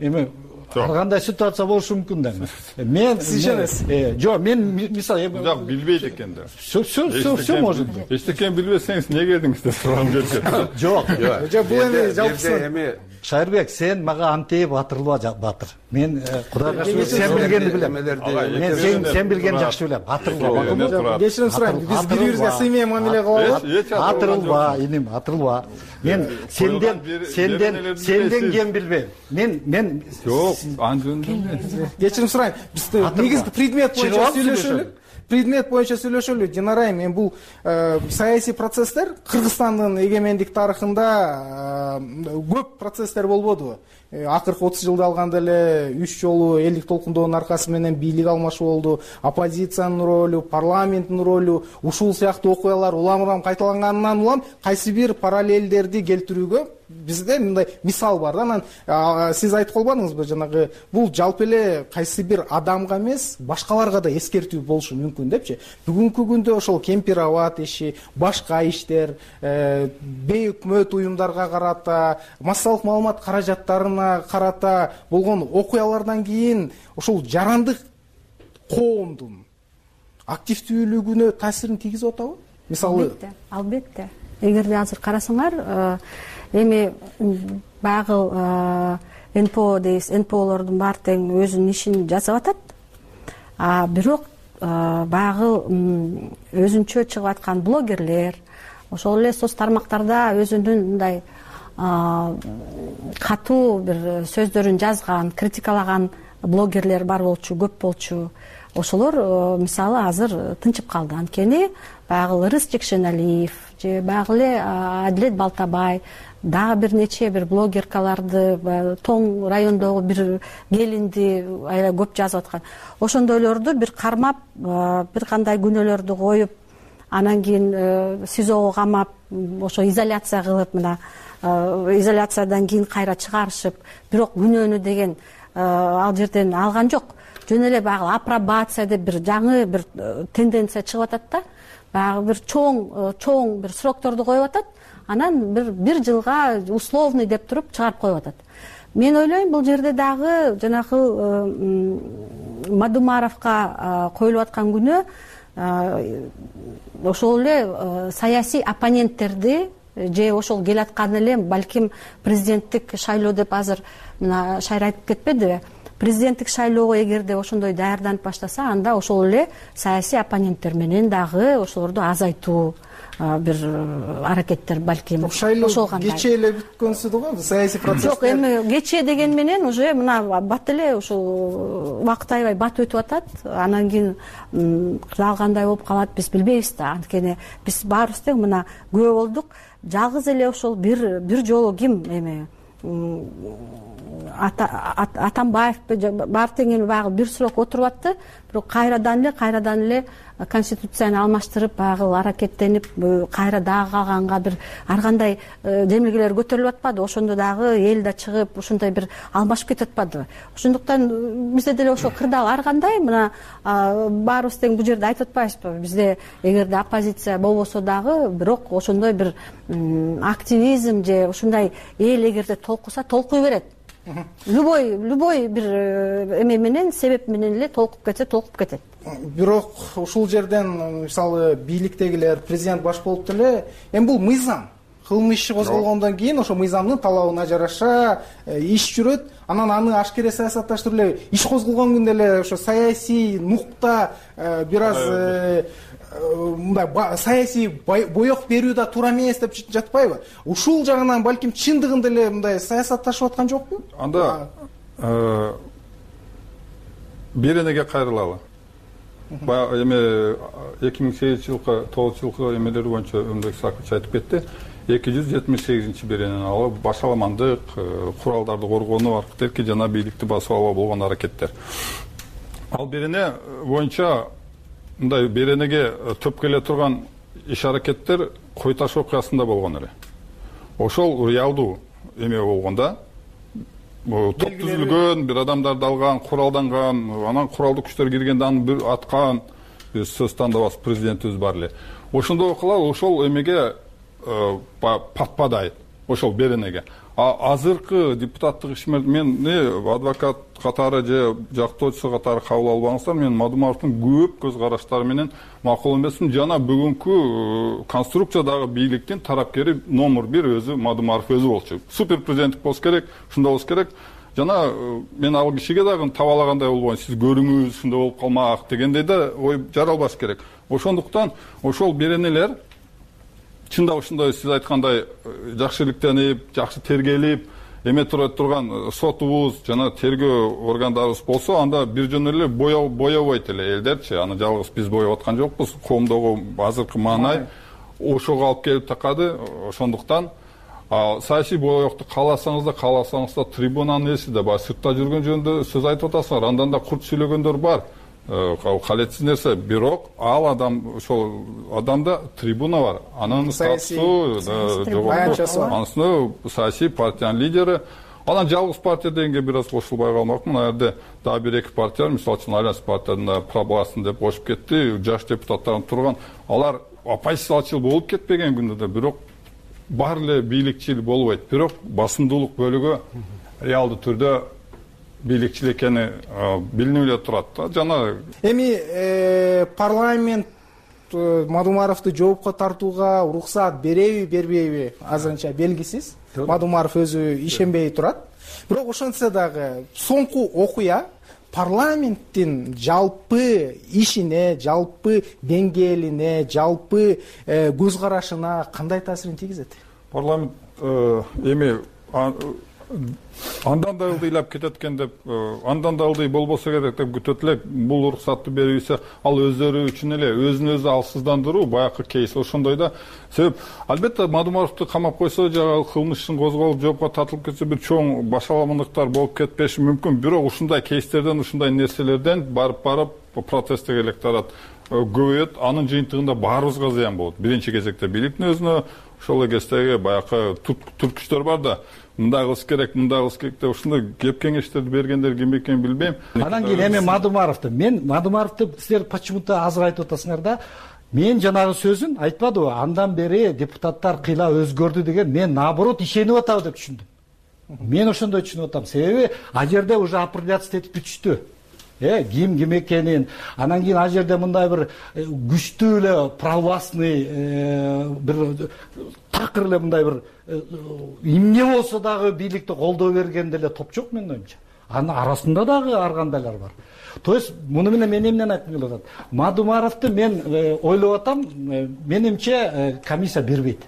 Эми ар кандай ситуация болушу мүмкүн да. Мен сиз ишенесиз? Жок, мен мисалы жок, билбейт экен да. Все, все, все может быть. Эчтекени билбесеңиз эмне келдиңиз деп сурагым келет. Жок. Жок, бул эми жалпысы Шайырбек, сен мага антип батырылба, батыр. Мен Кудайга шүгүр сен билгенди билем. Мен сен сен билгени жакшы билем. Батырылба. Кечирим сурайм, биз бири-бирибизге сыймай мамиле кылабыз. Батырылба, иним, батырылба. Мен сенден сенден сенден кем билбейм. Мен мен жок, анын жөнүндө. Кечирим сурайм, биз негизги предмет боюнча сүйлөшөлү. Предмет боюнча сүйлөшөлү. Динарай, мен бул саясий процесстер Кыргызстандын эгемендик тарыхында көп процесстер болбодубу? Акыркы отуз жылда алганда эле үч жолу элдик толкундоонун аркасы менен бийлик алмашуу болду. Оппозициянын ролу, парламенттин ролу, ушул сыяктуу окуялар улам-улам кайталанганынан улам кайсы бир параллелдерди келтирүүгө бизде мындай мисал бар да. Анан сиз айтып калбадыңызбы, жанагы бул жалпы эле кайсы бир адамга эмес, башкаларга да эскертүү болушу мүмкүн депчи. Бүгүнкү күндө ошол кемпир-абад иши, башка иштер, бейөкмөт уюмдарга карата, массалык маалымат каражаттарына карата болгон окуялардан кийин ошол жарандык коомдун активдүүлүгүнө таасирин тийгизип атабы? Мисалы, албетте, албетте. Эгерде азыр карасаңар, эми баягы эн пэ о дейбиз, эн пэ олордун баары тең өзүнүн ишин жасап атат. А бирок баягы өзүнчө чыгып аткан блогерлер, ошол эле соц тармактарда өзүнүн мындай катуу бир сөздөрүн жазган, критикалаган блогерлер бар болчу, көп болчу. Ошолор мисалы азыр тынчып калды. Анткени баягы Ырыс Жекшеналиев же баягы эле Адилет Балтабай дагы бир нече бир блогеркаларды, Тоң райондогу бир келинди аябай көп жазып аткан. Ошондойлорду бир кармап, бир кандай күнөөлөрдү коюп, анан кийин СИЗОго камап, ошо изоляция кылып, мына изоляциядан кийин кайра чыгарышып, бирок күнөөнү деген ал жерден алган жок. Жөн эле баягы апробация деп бир жаңы бир тенденция чыгып атат да. Баягы бир чоң чоң бир срокторду коюп атат. Анан бир бир жылга условный деп туруп чыгарып коюп атат. Мен ойлойм, бул жерде дагы жанагы Мадумаровго коюлуп аткан күнөө ошол эле саясий оппоненттерди же ошол келаткан эле балким президенттик шайлоо деп азыр мына Шайыр айтып кетпедиби? Президенттик шайлоого эгерде ошондой даярданып баштаса, анда ошол эле саясий оппоненттер менен дагы ошолорду азайтуу бир аракеттер балким ошол кандай. Кечээ эле бүткөнсүдү го саясий процесс. Жок, эми кечээ деген менен уже мына бат эле ушул убакыт аябай бат өтүп атат. Анан кийин дал кандай болуп калат биз билбейбиз да. Анткени биз баарыбыз тең мына күбө болдук. Жалгыз эле ошол бир бир жолу ким эми Атамбаев баары тең эми баягы бир срок отуруп атты, бирок кайрадан эле кайрадан эле конституцияны алмаштырып баягы аракеттенип кайра дагы калганга бир ар кандай демилгелер көтөрүлүп атпады. Ошондо дагы эл да чыгып ушундай бир алмашып кетип атпадыбы? Ошондуктан бизде деле ошол кырдаал ар кандай мына баарыбыз тең бул жерде айтып атпайбызбы? Бизде эгерде оппозиция болбосо дагы бирок ошондой бир активизм же ушундай эл эгерде толкуса толкуй берет. Любой любой бир эме менен себеп менен эле толкуп кетсе толкуп кетет. Бирок ушул жерден мисалы бийликтегилер президент баш болуп деле эми бул мыйзам кылмыш иши козголгондон кийин ошо мыйзамдын талабына жараша иш жүрөт. Анан аны ашкере саясатташтырып эле иш козголгон күндө эле ошо саясий нукта бир аз мындай саясий боек берүү да туура эмес деп жатпайбы? Ушул жагынан балким чындыгында эле мындай саясатташып аткан жокпу? Анда беренеге кайрылалы. Баягы эме эки миң сегизинчи жылкы тогузунчу жылкы эмелер боюнча Өмбек Сакыч айтып кетти. эки жүз жетимиш сегизинчи беренени алып башаламандык, куралдарды коргонуу аркылуу жана бийликти басып алууга болгон аракеттер. Ал берене боюнча мындай беренеге төп келе турган иш аракеттер Кой таш окуясында болгон эле. Ошол реалдуу эме болгонда топ түзүлгөн, бир адамдарды алган, куралданган, анан куралдуу күчтөр киргенде аны бир аткан, сөз тандабас президентибиз бар эле. Ошондой окуялар ошол эмеге патпадай, ошол беренеге. А азыркы депутаттык ишмер мен адвокат катары же жактоочусу катары кабыл албаңыздар, мен Мадумаровдун көп көз караштары менен макул эмесмин. Жана бүгүнкү конструкциядагы бийликтин тарапкери номер бир өзү Мадумаров өзү болчу. Супер президенттик болуш керек, ушундай болуш керек. Жана мен ал кишиге дагы табалагандай болбойм, сиз көрүңүз, ушундай болуп калмак дегендей да ой жаралбаш керек. Ошондуктан ошол беренелер чында ушундай сиз айткандай жакшы иликтенип, жакшы тергелип, эме тура турган сотубуз жана тергөө органдарыбыз болсо, анда бир жөн эле боебойт эле элдерчи. Аны жалгыз биз боеп аткан жокпуз. Коомдогу азыркы маанай ошого алып келип такады. Ошондуктан саясий боекту кааласаңыз да, кааласаңыз да трибунанын эси да бар. Сыртта жүргөн жөнүндө сөз айтып атасыңар. Андан да курт сүйлөгөндөр бар. Калетсиз нерсе, бирок ал адам ошол адамда трибуна бар. Анын статусу анысында саясий партиянын лидери. Анан жалгыз партия дегенге бир аз кошулбай калмакмын. Ал жерде дагы бир эки партия, мисалы үчүн Альянс партиясында прогласын деп кошуп кетти. Жаш депутаттар турган. Алар оппозициячыл болуп кетпеген күндө да, бирок бар эле бийликчил болбойт. Бирок басымдуулук бөлүгү реалдуу түрдө бийликчил экени билинип эле турат. Жана эми парламент Мадумаровду жоопко тартууга уруксаат береби, бербейби азырынча белгисиз. Мадумаров өзү ишенбей турат. Бирок ошентсе дагы соңку окуя парламенттин жалпы ишине, жалпы деңгээлине, жалпы көз карашына кандай таасирин тийгизет? Парламент эми андан да ылдыйлап кетет экен деп, андан да ылдый болбосо керек деп күтөт элек. Бул уруксатты берүүсү ал өздөрү үчүн эле өзүн өзү алсыздандыруу баягы кейс ошондой да. Себеп албетте Мадумаровду камап койсо жагы кылмыш ишин козголуп жоопко тартылып кетсе бир чоң башаламандыктар болуп кетпеши мүмкүн. Бирок ушундай кейстерден, ушундай нерселерден барып барып протесттик электорат көбөйөт. Анын жыйынтыгында баарыбызга зыян болот. Биринчи кезекте бийликтин өзүнө, ошол кездеги баягы түрткүчтөр бар да. Мындай кылыш керек, мындай кылыш керек деп ушундай кеп кеңештерди бергендер ким экенин билбейм. Анан кийин эми Мадумаровду мен Мадумаровду силер почему-то азыр айтып атасыңар да. Мен жанагы сөзүн айтпадыбы? Андан бери депутаттар кыйла өзгөрдү деген мен наоборот ишенип атабы деп түшүндүм. Мен ошондой түшүнүп атам. Себеби а жерде уже апелляция этип бүтүштү. Э, ким ким экенин, анан кийин а жерде мындай бир күчтүү эле православный бир такыр эле мындай бир эмне болсо дагы бийликти колдоо берген деле топ жок менин оюмча. Анын арасында дагы ар кандайлар бар. То есть муну менен мен эмнени айткым келип атат? Мадумаровду мен ойлоп атам, менимче комиссия бербейт.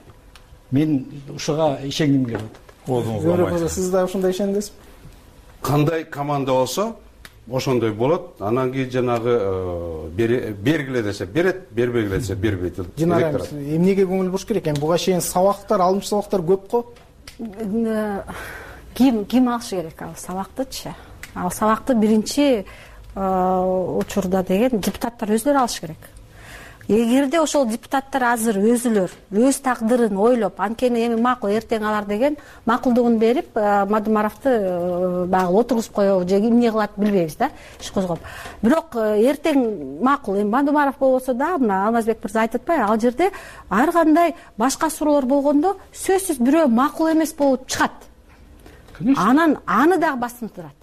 Мен ушуга ишенгим келип атат. Сиз да ушундай ишендиңизби? Кандай команда болсо ошондой болот. Анан кийин жанагы бергиле десе берет, бербегиле десе бербейт. Динара, эмнеге көңүл буруш керек? Эми буга чейин сабактар, алымчы сабактар көп го. Ким ким алышы керек ал сабактычы? Ал сабакты биринчи учурда деген депутаттар өздөрү алыш керек. эгерде ошол депутаттар азыр өзүлөр өз тагдырын ойлоп анткени эми макул эртең алар деген макулдугун берип Мадумаровду баягы отургузуп коебу же эмне кылат билбейбиз да, иш козгоп. Бирок эртең макул эми Мадумаров болбосо да, мына Алмазбек мырза айтып атпайбы, ал жерде ар кандай башка суроолор болгондо сөзсүз бирөө макул эмес болуп чыгат. Анан аны дагы басынтырат.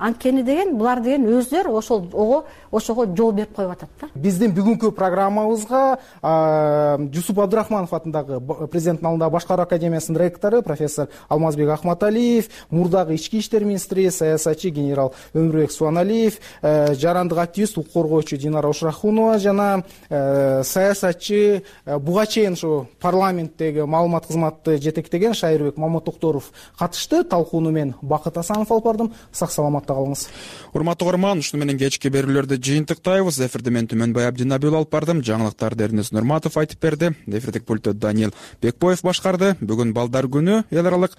Анткени деген булар деген өздөрү ошол ого ошого жол берип коюп атат да. Биздин бүгүнкү программабызга Жусуп Абдурахманов атындагы президенттин алдындагы башкаруу академиясынын ректору профессор Алмазбек Ахматалиев, мурдагы ички иштер министри, саясатчы генерал Өмүрбек Субаналиев, жарандык активист, укук коргоочу Динара Ушрахунова жана саясатчы буга чейин ушу парламенттеги маалымат кызматты жетектеген Шайырбек Маматокторов катышты. Талкууну мен Бакыт Асанов алып бардым. Сак саламатта калыңыз. Урматтуу угарман, ушуну менен кечки берүүлөрдү жыйынтыктайбыз. Эфирде мен Түмөнбай Абдинабил алып бардым. Жаңылыктарды Эрнес Нурматов айтып берди. Эфирдик пультту Даниил Бекбоев башкарды. Бүгүн балдар күнү, эл аралык